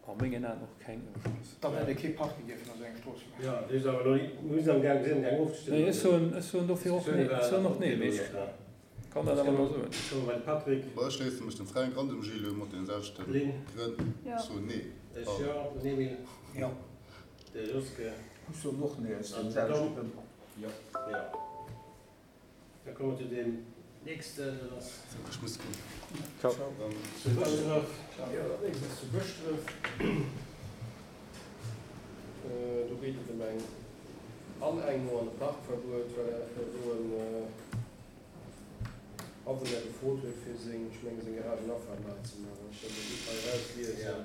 I: A mengen Aen och keng Urgence.
C: Dann hätt ee kee Parking dierfen a sou eng Strooss maachen.
A: Jo, dee ass awer elo ni, mir sinn am gaang, mir sinn am gaang ofzestëmmen.
I: Nee, ech soen, ech soen dofir och nee. Ech soen och nee, mee ech kann dat awer elo soen.
A: Komme bei de Patrick.
E: Bon, ech schléisse mech dem Fränk an dem Gilles u mat deene selwechte Grënn. Ech soen nee.
A: Ech jo, den Emile.
H: Jo.
A: De Joske.
H: Ech soen och nee, aus deene selwechte Grënn.
A: Jo. Jo. Da komme mer zu deem nächsten, dat ass.
E: Ech muss goen.
D: Ciao.
A: Zu Bëschdref.
B: Jo, dat nächst ass zu Bëschdref. Do geet et ëm eng Anengung an e Parkverbuet, well do en Awunner gefrot huet, fir seng, ech menge seng Garagenafaart nei ze maachen, wann ech dat elo gutt hei erausliesen.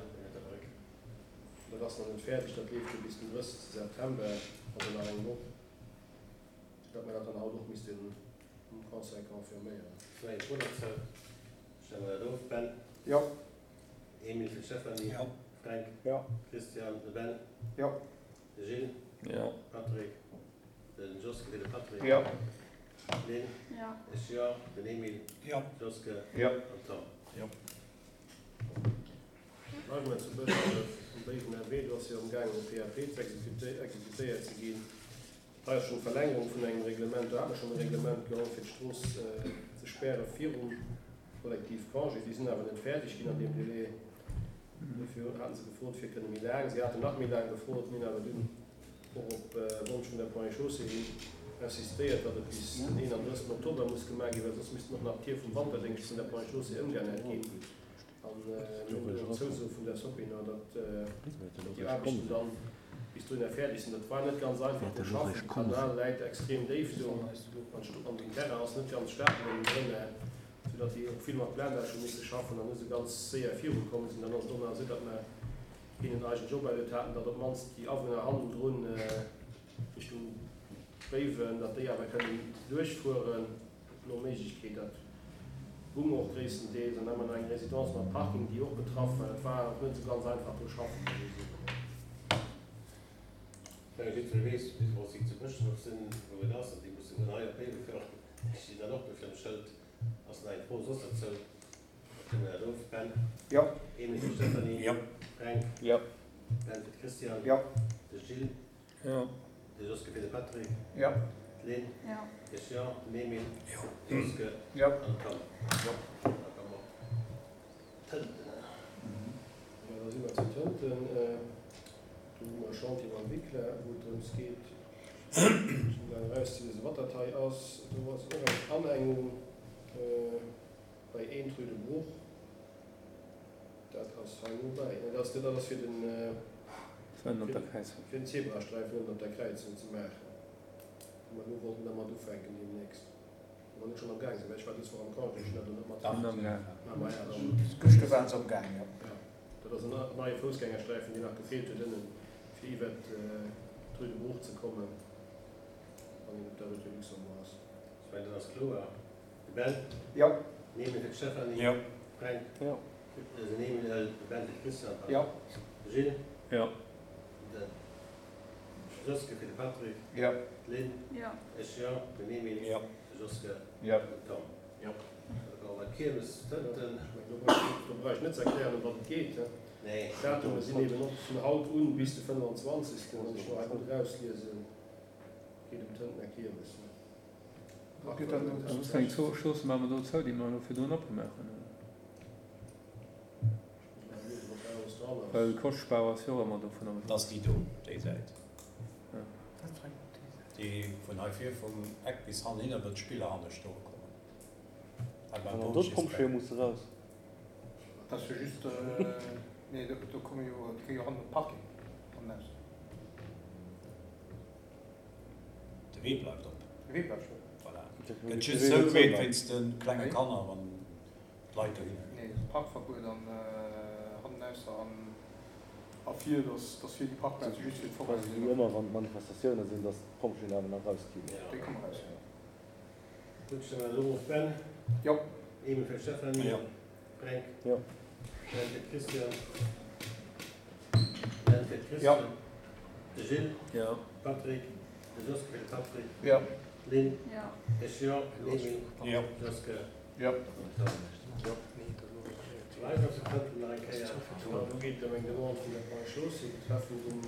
B: Dat ass nach net fäerdeg, dat leeft jo bis den 30 September, also nach eng Woch. Datt mer dat dann haut och missten um Conseil confirméieren.
A: Sou eng Fro dozou. Stelle mer dat of. Ben?
C: Jo.
A: Emil fir d'Stéphanie.
C: Jo.
A: Fränk?
C: Jo.
A: Christian? De Ben?
C: Jo.
A: De Gilles?
I: Jo.
A: Patrick? De Joske fir de Patrick?
C: Jo.
A: Lynn?
J: Jo.
A: Ech jo. Den Emile?
H: Jo.
A: Joske?
C: Jo.
A: An Tom?
H: Jo.
B: Bleiwe mer zu Bëschdref um Béiwener Wee. Do ass jo amgaangen e PAP ze exekutéiert ze ginn. Hei ass schonn d'Verlängerung vun engem Reglement. Do hat mer schonn e Reglement geholl, fir d'Strooss ze späre virum Kollektivcongé. Déi sinn awer net fäerdeg ginn an deem Délai. Dofir hate se gefrot, fir kënne méi laang. Si haten nach méi laang gefrot, mir hunn awer dunn och op Wonsch vun der Ponts et Chaussées hin insistéiert, datt et bis den 31. Oktober muss gemaach ginn, well soss missten och nach d'Tier vum Wanterdéngscht vun der Ponts et Chaussées ëmgeännert ginn. An mir hunn do och d'Zouso vun der Sopinor, datt déi Aarbechten dann bis dohinner fäerdeg sinn. Dat war net ganz einfach do schaffen. De Kanal läit extrem déif do an den Terrain ass net ganz stabel ënnendrënner, soudatt déi och vill mat Blendage hu misse schaffen an net esou ganz séier virukomm sinn. Dann ass et och nach esou, datt mer hinnen eigentlech operluet haten, datt op d'mannst déi Awunner hannendrun Richtung Béiwen, datt déi awer kënnen duerchfueren. No Méiglechkeet. Dat gung och gréisstendeels. An da hu mer nach eng Résidence mat Parking, déi och betraff war. Dat war och net esou ganz einfach do schaffen, muss ech soen.
A: Ech menge jiddweree weess, wéi se zu Bëschdref sinn, wou et ass, an déi musse vun hei op Béiwe fueren. Ech stinn dann och do virum Schëld. Ass nach eng Fro soss dozou? Da stëmme mer dat of. Ben?
C: Jo.
A: Emil fir d'Stéphanie?
H: Jo.
A: Fränk?
C: Jo.
A: Ben fir d'Christiane?
C: Jo.
A: De Gilles?
I: Jo.
A: De Joske fir de Patrick.
C: Jo.
A: D'Lynn.
J: Jo.
A: De Jean, den Emile.
H: Jo.
A: De Joske.
C: Jo.
A: An d'Anne.
H: Jo.
A: Da komme mer op Tënten.
B: Jo, da si mer zu Tënten. Do hu mer e Chantier mam Wicler, wou et drëms geet, ech hunn dat erauszelesen, wat dat hei ass. Do ass och eng Anengung bei 1 rue de Bruch. Dat ass hei nobäi. Nee, dat ass, dat ass fir den,
I: Ënnen op der Kräizung.
B: fir den Zebrasträifen ënnen op der Kräizung ze maachen, wou mer elo wollten dermat ufänken deemnächst. Wa mer net schonn am Gaang sinn, well ech war dës Woch am Congé, ech hunn dat elo net matkritt.
I: Sinn am Gaang.
B: Ah, maja, dann.
H: Gëschter waren se am Gaang, jo.
B: Ja, dat ass en neie Foussgängersträifen, deen nach gefeelt huet ënnen, fir iwwert d'Rue de Bruch ze kommen, wann een op der Rue de Luxembourg ass.
A: Ech mengen, dat ass kloer. De Ben?
C: Jo.
A: Den Emil fir d'Stéphanie?
H: Jo.
A: Fränk?
D: Jo.
A: Den Emil, de Ben fir d'Christiane, pardon.
C: Jo.
A: De Gilles?
I: Jo.
A: De Joske fir de Patrick?
C: Jo.
A: D'Lynn?
J: Jo.
A: Ech jo. Den Emil?
H: Jo.
A: De Joske?
C: Jo.
A: Den Tom?
H: Jo.
A: Da komme mer d'Kiermes Tënten.
B: Ech mengen, do brauch ech, do brauch ech net ze erklären, ëm wat et geet.
A: Nee.
B: D'Datume sinn eben och vun haut un bis de 25. Wann ech lo hei gutt erausliesen, geet ëm d'Tëntener Kiermes.
I: Wéi eng Stroosse maache mer do zou, déi mer elo virdrun opgemaach hunn? Well Koschtbau ass jo och ëmmer dovunner
H: betraff. Dat ass déi do, déi Säit. Déi vun hei vir vum Eck bis hanhinner, wou d'Spiller hanne stoe kommen. Hei beim
D: Wann do d'Pompjeeë musse raus.
C: Dat ass jo just, nee, do komme jo, déi kréie jo hannen de Parking hannenaus.
H: De Wee bleift op.
C: De Wee bleift op.
H: Voilà. Gëtt just zougemeet wéinst de klenge Kanner, wann d'Leit dohinner ginn.
C: Nee, Parkverbuet an hannenausser an a vir, dass dass vir déi Parkplaze just fir d'Foraine
D: Quasi
C: sinn.
D: wéi ëmmer wann Manifestatioune sinn, dass d'Pompjeeën awer nach rausginn.
C: Déi komme raus, jo.
A: Gutt, stelle mer elo of. Ben?
C: Jo.
A: Emil fir d'Stéphanie?
H: Jo.
A: Fränk?
D: Jo.
A: Ben fir d'Christiane? Ben fir d'Christiane? De Gilles?
I: Jo.
A: Patrick? De Joske fir de Patrick?
C: Jo.
A: D'Lynn?
J: Jo.
A: Ech jo. Den Emil?
H: Jo.
A: Joske?
C: Jo.
A: An Tom?
C: Jo.
A: Live ass de Tënten nach eng Kéier.
B: Do geet et ëm eng Demande vun der Ponts et Chaussées betreffend en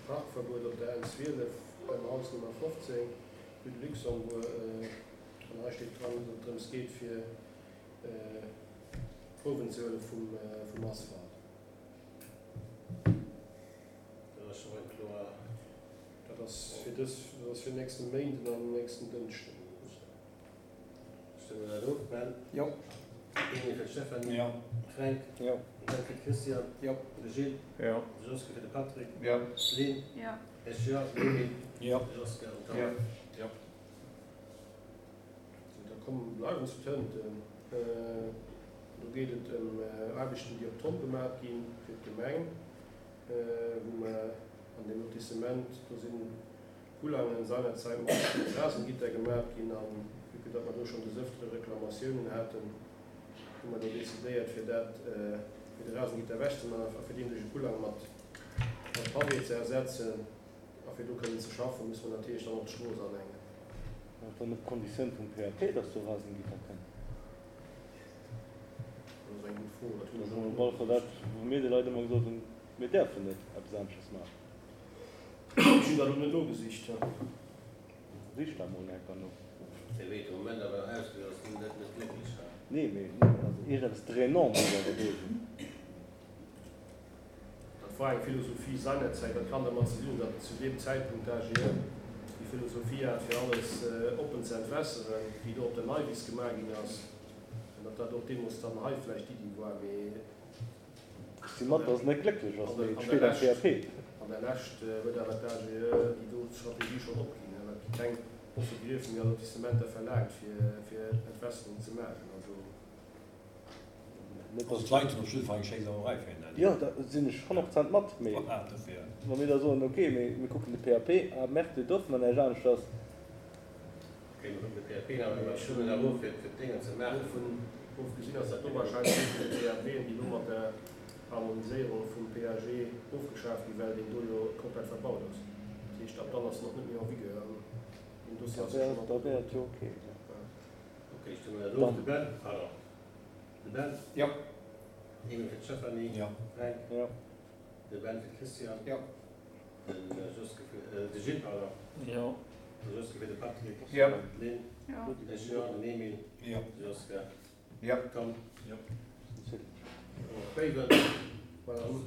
B: Parkverbuet op der N 12 beim Haus Nummer 15, rue de Luxembourg. An hei steet dran, datt et drëms geet fir Prouwen ze huele vum Asphalt.
A: Dat ass scho eng kloer.
B: Dat ass fir dës, dat ass fir nächste Méinden an nächsten Dënschden.
A: Stëmme dat of? Ben?
C: Jo.
A: Emil fir d'Stéphanie?
H: Jo.
A: Fränk?
D: Jo.
A: Ben fir d'Christiane?
C: Jo.
A: De Gilles?
I: Jo.
A: De Joske fir de Patrick?
C: Jo.
A: D'Lynn?
J: Jo.
A: Ech jo. Den Emil?
H: Jo.
A: De Joske an Tom?
C: Jo.
H: Jo.
B: Da kommen, bleiwen zu Tënten. Do geet et ëm Aarbechten, déi op Tonn gemaach gi fir d'Gemeng, wou mer an deem Lotissement, do si Kulangen seinerzäit mat Rasengitter gemaach ginn. A vue que datt mer do schonn des Ëftere Reklamatiounen haten, hu mer do decidéiert, fir dat, fir de Rasengitter ewechzemaachen a fir deen duerch e Kulang mat Pavé ze ersetzen. A fir do kënnen ze schaffen, musse mer natierlech dann och d'Strooss anengen.
D: Ass dann net d'Konditioun vum PAP, dass do Rasengitter kënnt?
B: Dat ass eng gutt Fro. Dat hunn
D: ech
B: och
D: net. Op alle Fall dat, wou mir de Leit ëmmer gesot hunn, mir däerfen net eppes aneschters maachen.
B: Ech hunn dat elo net nogesicht.
D: Sich dat mol enker no.
A: Wéi et de Moment awer nach ausgesäit, ass den net net glécklech hei.
D: Nee, mee also iergendeppes Drainant muss awer do sinn.
B: Dat war eng Philosophie seinerzäit. Dat kann dermat ze dinn hunn, datt zu deem Zäitpunkt d'AGE déi Philosophie hat, fir alles oppen ze entwässeren, wéi do op der Neiwiss gemaach ginn ass, an datt dat och deemools dann hei vläicht d'Iddi war. Mee
D: Ech si mat, datt et net glécklech ass, mee et steet am PAP.
B: An der Lescht huet awer d'AGE déi do Strategie schonn opginn, well et gi keng oppe Griefen méi a Lotissementer verlaangt, fir Entwässerung ze maachen. Also.
H: Also d'Leit hunn op jidde Fall eng schéi Sauerei fir en
D: Jo, da sinn ech 100 Prozent mat. Mee wa mir da soen, ok, mir kucken de PAP, ah merde, do dierfe mer näischt aneschters.
A: Ok, mir kucken de PAP nach, mee ech stëmmen awer of, fir d'Déngen ze maachen.
B: Dovun ofgesinn ass dat do warscheinlech ee vun de PAPen, déi elo mat der Harmoniséierung vum PAG ofgeschaf ginn, well deen do jo komplett verbaut ass. Dat heescht, ab dann ass en och net méi en vigueur an deen Dossier ass jo schonn
D: Da wär et jo ok.
A: Ok, ech stëmmen dat of. De Ben, pardon. De Ben?
C: Jo.
A: Emil fir d'Stéphanie?
H: Jo.
A: Fränk?
D: Jo.
A: De Ben fir d'Christiane?
C: Jo.
A: De Joske fir, de Gilles, pardon.
I: Jo.
A: De Joske fir de Patrick?
C: Jo.
A: D'Lynn?
J: Jo.
A: Ech jo. Den Emil?
H: Jo.
A: De Joske?
C: Jo.
A: Tom?
H: Jo.
A: Och Béiwen?
B: Voilà, dann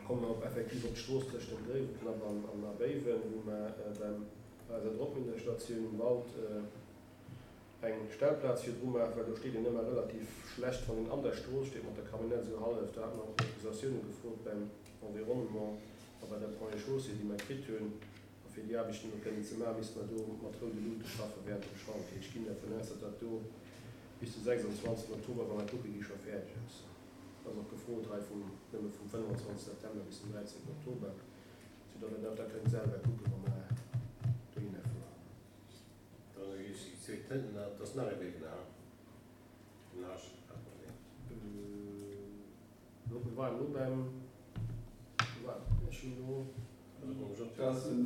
B: komme mer op effektiv op d'Strooss tëscht dem Gréiweknapp an a Béiwen, wou mer beim, bei eiser Drockminderstatioun um Wald, eng Stellplaz virdru maachen, well do steet een ëmmer relativ schlecht, wann een an der Strooss steet mat der Camionnette esou hallef. Do hate mer och Autorisatioune gefrot beim Environnement a bei der Ponts et Chaussées, déi mer kritt hunn. A fir déi Aarbechten elo kënnen ze maachen, misste mer do mat roude Luute schaffe während dem Chantier. Ech ginn dervun aus, datt dat do bis de 26 Oktober, wa mer kucke gi, scho fäerdeg ass. Et ass och gefrot hei vum, nëmme vum 25 September bis den 13 Oktober, soudatt Der dat da kënnt selwer kucken, wa mer dohinner fueren.
A: Dann hu ech déi zweet Tënten, dat ass nach ee Webinar, den H hat mer deen.
B: Lo, mir waren elo beim, ech hunn elo,
F: mir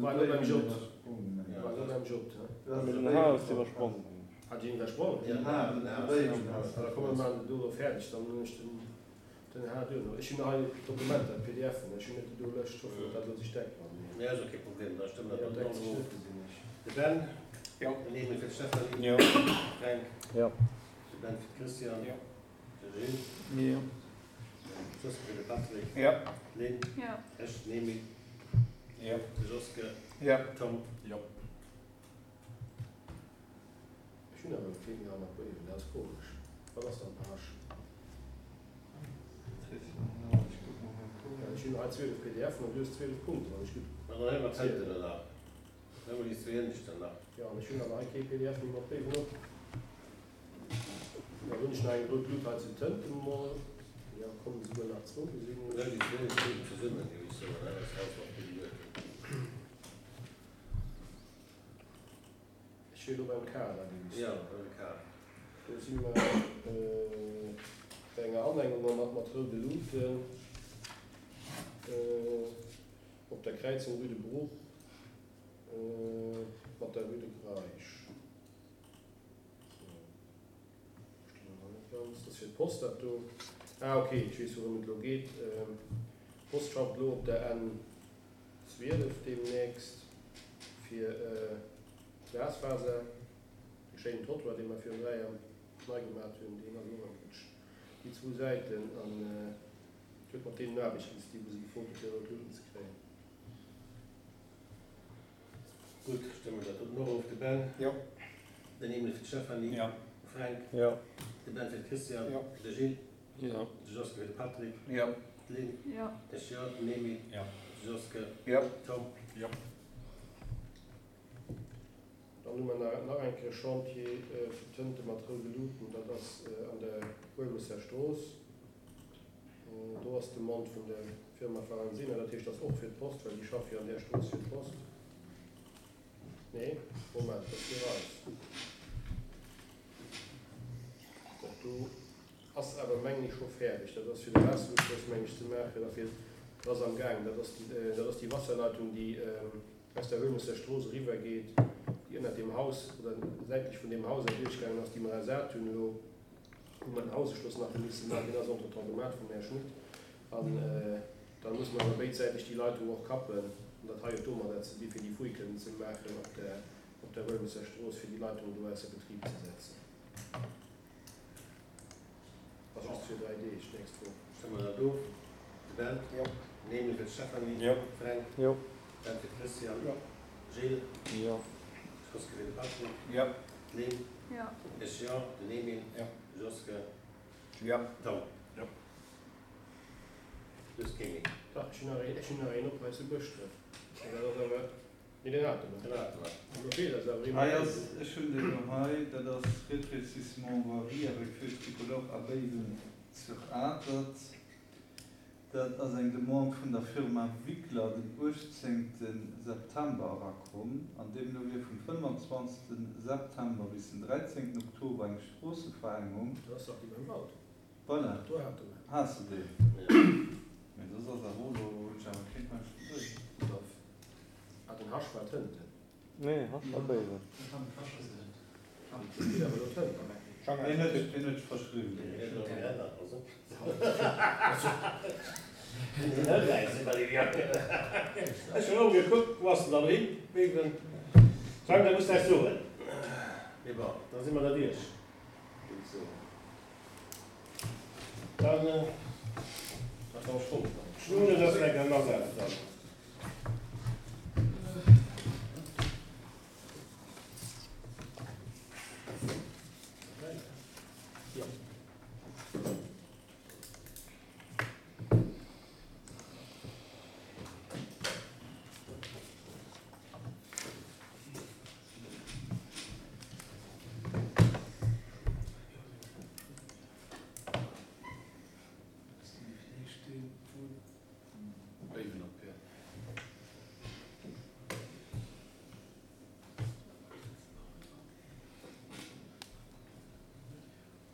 B: waren elo beim J, mir waren elo beim J, he?
D: Mee den H hues de iwwersprongen.
B: Hat ech een iwwersprongen?
F: Den H, den H.
B: Da komme mer do elo fäerdeg, dann hunn ech den. Den H duerno. Ech hunn hei d'Dokumenter, d'PDFen, ech hunn net déi do Lëscht. Ech hoffen, datt dat elo sech deckt mat mir.
A: Nee, ass och kee Problem, da stëmme mer
B: Jo,
A: dat
B: deckt
A: och
B: sech
A: of.
B: net, gesinn ech.
A: De Ben?
C: Jo.
A: Den Emil fir d'Stéphanie?
D: Jo.
A: De Fränk?
D: Jo.
A: De Ben fir d'Christiane?
C: Jo.
A: De Gilles?
I: Jo.
A: De Joske fir de Patrick?
C: Jo.
A: D'Lynn?
J: Jo.
A: Ech, den Emil?
H: Jo.
A: De Joske?
C: Jo.
A: Tom?
H: Jo.
B: Ech hunn awer kee méi hannert Béiwen, dat ass komesch. Wat ass dann H? Ech hunn hei 12 PDFen an du hues 12 Punkten, wann ech gutt.
A: An dann hu mer d'Zënten nach. Dann hu mer déi zwee ënneschten nach.
B: Jo, an ech hunn awer hei kee PDF méi mat Béiwen op. Dann hunn ech nach eng rout Lut hei zu Tënten mol. Jo, kommen esouguer nach zwou, gesinn ech.
A: Dann déi zwee ënnescht Luten zesummen, géif ech soen, dat ass einfach vill Luuten.
B: Ech si elo beim K, da géif ech
A: Jo,
B: soen.
A: beim K.
B: Do si mer bei enger Anengung mat mat roude Luuten op der Kräizung Rue de Bruch mat der Rue de Greisch. Sou, verstinn ech nach net ganz. Dat ass fir d'Post dat do. Ah ok, ech weess wourëm et elo geet. D'Post schafft elo op der N 12 deemnächst fir Glasfaser. Dee schéinen Trottoir, dee mer virun 3 Jar nei gemat hunn, deen ass elo am Putsch, déi zwou Säiten. An et huet mat deenen Aarbechten ze dinn, wou se gefrot hu fir rout Luuten ze kréien.
A: Gutt, stëmme dat doten och of. De Ben?
C: Jo.
A: Den Emil fir d'Stéphanie?
H: Jo.
A: De Fränk?
D: Jo.
A: De Ben fir d'Christiane?
C: Jo.
A: De Gilles?
I: Jo.
A: De Joske fir de Patrick?
C: Jo.
A: D'Lynn?
J: Jo.
A: Ech jo. Den Emil?
H: Jo.
A: De Joske?
C: Jo.
A: Tom?
H: Jo.
B: Dann hu mer nach eng Kéier e Chantier fir Tënte mat roude Luuten, dat ass an der Huelmesser Strooss. Do ass d'Demande vun der Firma Farenzena, dat heescht, dat ass och fir d'Post, well déi schaffe jo an där Strooss fir d'Post. Nee, Moment, dat ass fir eis. Dat do ass awer, mengen ech, scho fäerdeg. Dat ass fir de Waasseruschloss, meng ech, ze maachen. Dat ass dat ass amgaangen. Dat ass déi, dat ass déi Wasserleitung, déi aus der Huelmesser Strooss eriwwer geet. déi ënnert deem Haus oder säitlech vun deem Haus erduerchgaangen ass, déi mer ersat hunn elo, wou mer den Haususchloss nach hu misse maachen. Deen ass entretemps gemat vum Här Schmit. An da musse mer awer béidsäiteg déi Leitung och kappen. An dat hei huet domadder ze di fir déi Fouille kënnen ze maachen op der, op der Wëlmesser Strooss, fir déi Leitung do ausser Betrib ze setzen. Ass just fir 3 Deeg d'nächst Woch.
A: Stëmme mer dat of? De Ben?
E: Jo.
A: Den Emil fir d'Stéphanie?
D: Jo.
A: Fränk?
D: Jo.
A: Ben fir d'Christiane?
C: Jo.
A: Gilles?
D: Jo.
A: Joske fir de Patrick?
F: Jo.
A: D'Lynn?
J: Jo.
A: Ech jo. Den Emil?
F: Jo.
A: De Joske?
F: Jo.
A: Tom?
C: Jo.
A: Du hues kee méi?
B: Dach, ech hunn nach een, ech hunn nach een op hei zu Bëschdref. Mä dat ass awer, nee, deen hate mer.
A: Deen hate mer.
B: An do feelt eis awer ee
F: Hei
B: mat
F: ass,
B: Béiwen.
F: ech hunn deen elo hei, dat ass Rétrécissement voirie avec feu tricolore à Béiwen sur Atert. Dat ass eng Demande vun der Firma Wickler den 18 September erakomm, an deemno wier vum 25 September bis den 13 Oktober eng Stroosseverengung.
B: Dat ass dach déi beim Wald.
F: Voilà,
B: Do hate mer.
F: has de deen? Mee soss ass awer och elo, hunn ech awer keen hei vun Béiwen.
B: Ah, den Hasch war d'Hënten.
D: Nee, Hasch war Béiwen.
B: Dat geet awer elo d'Hënten.
F: Deen huet deen huet ech verschriwwen.
A: Ech hunn och gekuckt, wou ass en dann hin? Béiwen. Frank, dat muss näischt soen. Mee bon, da si mer derduerch, géif ech soen. Dann, Schlunen ass eng Asetz dann.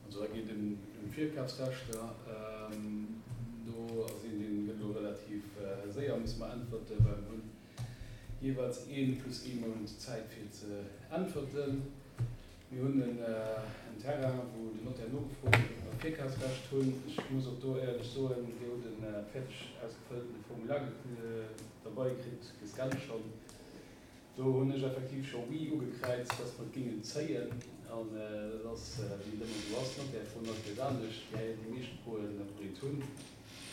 G: Also da geet ëm Virkafsrechter. Do ass een, dee gëtt elo relativ séier, musse mer äntwerten, well mer hunn jeeweils ee plus ee Mount Zäit fir ze äntwerten. Mir hunn en Terrain, wou den Notaire nogefrot huet, ob mer d'Virkafsrecht hunn. Ech muss och do éierlech soen, Dir hutt e fäerdeg ausgefëlltene Formular derbei kritt, gescannt schonn. Do hunn ech effektiv scho oui ugekräizt, dass mer et géingen zéien. An dat ass, wéi et ëmmer esou ass, d'Notaire froen alt eppes anescht. Déi meescht froen, ob mer eent hunn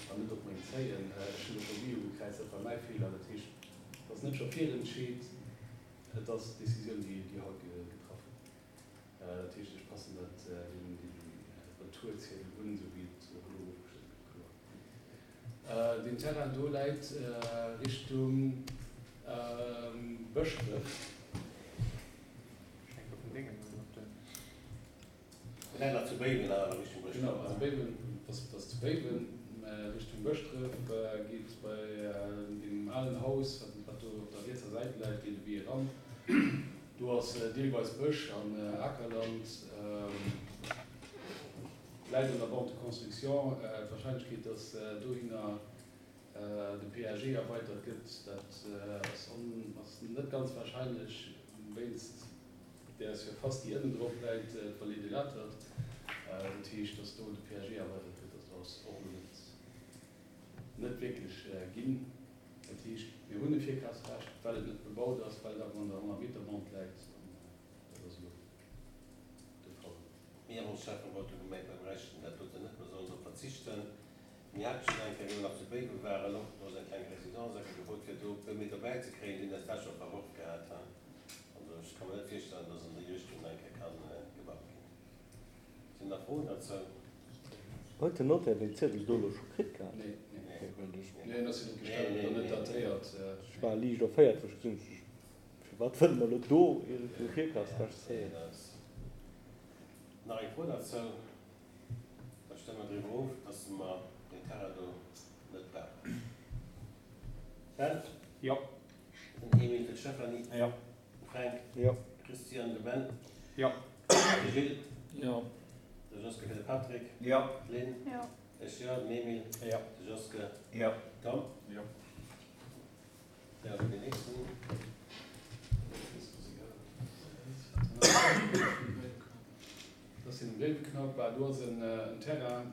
G: an net, ob mer eent zéien. Ech hunn do scho oui ugekräizt, dat war mäi Feeler. Dat heescht, et ass net scho virentscheet. Et ass d'Decisioun, déi haut getraff gëtt. Dat heescht, ech passen dat dee Retourziedel un, esou wéi et och elo ofgestëmmt gëtt, kloer. Deen Terrain do läit Richtung Bëschdref.
A: Läit nach zu Béiwen awer Richtung Bëschdref.
G: Genau, also Béiwen, dat ass zu Béiwen, mä Richtung Bëschdref geet bei deem alen Haus, wat do op der rietser Säit läit, geet e Wee eran. Do ass deelweis Bësch an Akerland, läit an der Bande de construction. D'Wahrscheinlechkeet, datt dohinner de PAG erweitert gëtt, dat ass net ganz wahrscheinlech wéinst där Surface, déi ënnen drop läit, d'Vallée de l'Atert. Dat heescht, datt do de PAG erweidert gëtt, dat ass och elo net net wierklech ginn. Dat heescht, mir hunn e Virkafsrecht, well et net bebaut ass, well et awer an der 100 Meter Bande läit. An dat ass elo de Fall.
A: Mir hunn ons Schäfferot do gemengt, mir bräichten dat doten net, mir sollen drop verzichten. Mir hate schonn eng Kéier, wéi mer nach zu Béiwe waren, och do ass eng kleng Résidence eng Kéier gefrot, fir do e puer Meter bäizekréien. Déi hunn eis dat scho verworf gehat. Also ech ka mer net virstellen, dass an déi Richtung nach eng Kéier ka gebaut ginn. Sinn nach Froen dozou?
D: Huet den Notaire deen Ziedel do elo scho kritt gehat?
G: Nee, nee, en ass jo net gestempelt an net datéiert.
D: Ech war liicht erféiert, wou ech gesinn hunn, firwat wëlle mer elo do iergendwou Virkafsrecht zéien?
A: Nach eng Fro dozou? Da stëmme mer driwwer of, dass mer deen Terrain do net brauchen. Ben?
C: Jo.
A: Den Emile, de Stéphanie?
C: Jo.
A: De Fränk?
D: Jo.
A: De Christian, de Ben?
C: Jo.
A: De Gilles?
I: Jo.
A: De Joske fir de Patrick?
F: Jo.
A: D'Lynn?
J: Jo.
A: Ech jo. Den Emile?
C: Jo.
A: De Joske?
F: Jo.
A: Tom?
C: Jo.
A: Ja, deen nächsten.
G: um Gréiweknapp. Bah, do ass en Terrain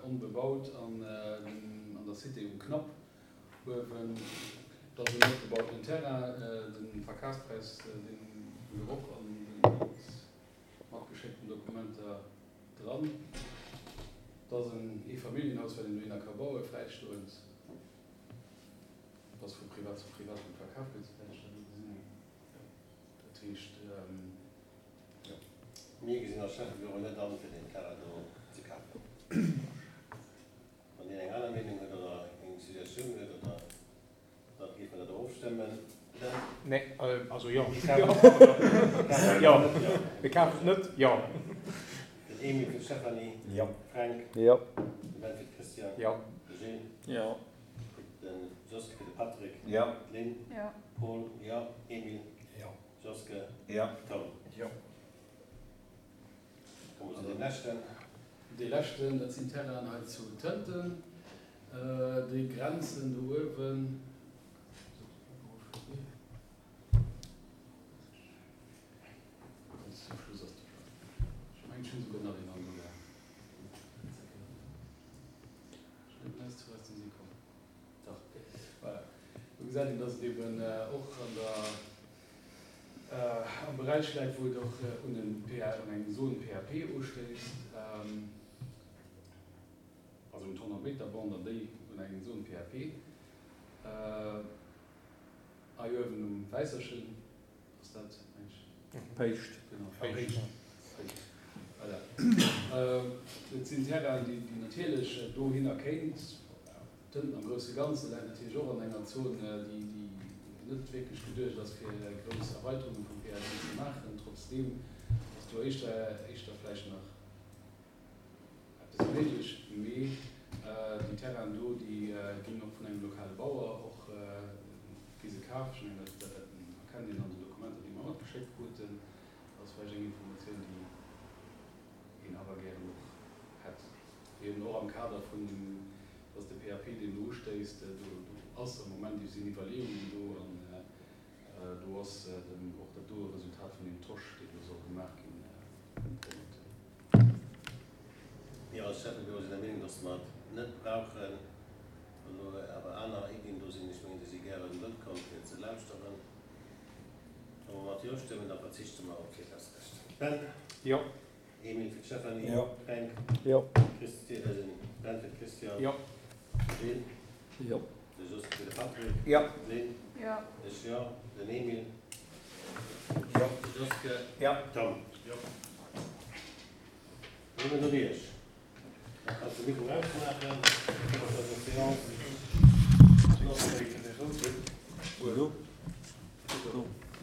G: onbebaut an der Cité um Knapp uewen. Dat ass en net bebautenen Terrain. De Verkafspräis, deen gouf och an de matgeschéckten Dokumenter dran. Dat ass en Eefamilljenhaus, wat een dohinner ka bauen, fräistoend. Dat ass vu Privat zu Privat verkaf gëtt, souwäit ech dat elo gesinn hunn. Dat heescht, jo.
A: Mir gesinn als Schäffebüro net an, fir deen Terrain do ze kafen. Wann deen eng aner Meenung huet oder eng Suggestioun huet oder, da géife mer dat och ofstëmmen. Ben?
C: Nee, also jo. Jo, mir kafen et net, jo.
A: Den Emile fir d'Stéphanie.
H: Jo.
A: Fränk.
D: Jo.
A: De Ben fir d'Christiane.
C: Jo.
A: De Gilles.
I: Jo.
A: De Joske fir de Patrick.
H: Jo.
A: D'Lynn.
J: Jo.
A: Paul. Jo. Emile.
H: Jo.
A: Joske.
H: Jo.
A: Tom.
C: Jo.
A: Komme mer zu deem leschten.
G: Dee leschten, dat sinn d'Terrainen hei zu Tënten. Déi grenzen do uewen. Ganz zum Schluss ass de Ech mengen, ech hunn esouguer nach een anere. Voilà. Do gesäit een, dass et eben och an der, am Beräich läit, wou et och un en PA, un eng Zone PAP ustéisst, also un d'Honnert Meter Bande an déi un eng Zone PAP. Hei uewen um Wäisserchen Ass dat eng?
I: Péischt.
G: Genau, Péischt. Péischt. Voilà. Et sinn Terrainen, déi, déi natierlech dohinner kéint. Tënten am grousse Ganze läit natierlech och an enger Zon, déi, déi net wierklech geduecht ass, fir grouss Erweiterunge vum PAG ze maachen. Trotzdeem ass do éischter, éischter vläicht nach Eppes méiglech, mee déi Terrainen do, déi ginn och vun engem lokale Bauer och gi se kaf. Ech mengen, dat erkennt een an den Dokumenter, déi mer matgeschéckt kruten. Dat ass vläicht eng Informatioun, déi een awer gären och hätt, eben och am Kader vun dem, dass de PAP, deen do ustéisst, do ass am Moment, do sinn Iwwerleeungen do an do ass och dat doe Resultat vun deem Tosch, deen do soll gemaach ginn, promoteur.
A: Mir als Schäffebüro sinn der Meenung, dass mer et net brauchen. Wann elo awer aner Iddien do sinn, ech mengen, déi si gäre wëllkomm fir ze lauschteren. Wa mer mat Jo stëmmen, da verzichte mer op d'Virkafsrecht. Ben?
C: Jo.
A: Emile fir d'Stéphanie.
H: Jo.
A: Fränk?
D: Jo.
A: Christi, äh, den Ben fir d'Christiane.
C: Jo.
A: De Gilles?
I: Jo.
A: De Jos fir de Patrick.
C: Jo.
A: D'Lynn?
J: Jo.
A: Ech jo. Den Emile?
H: Jo.
A: De Joske?
C: Jo.
A: Tom?
G: Jo.
A: Da si mir doduerch. Da kanns de Mikro ausmaachen. Da kënne mer eis Séance.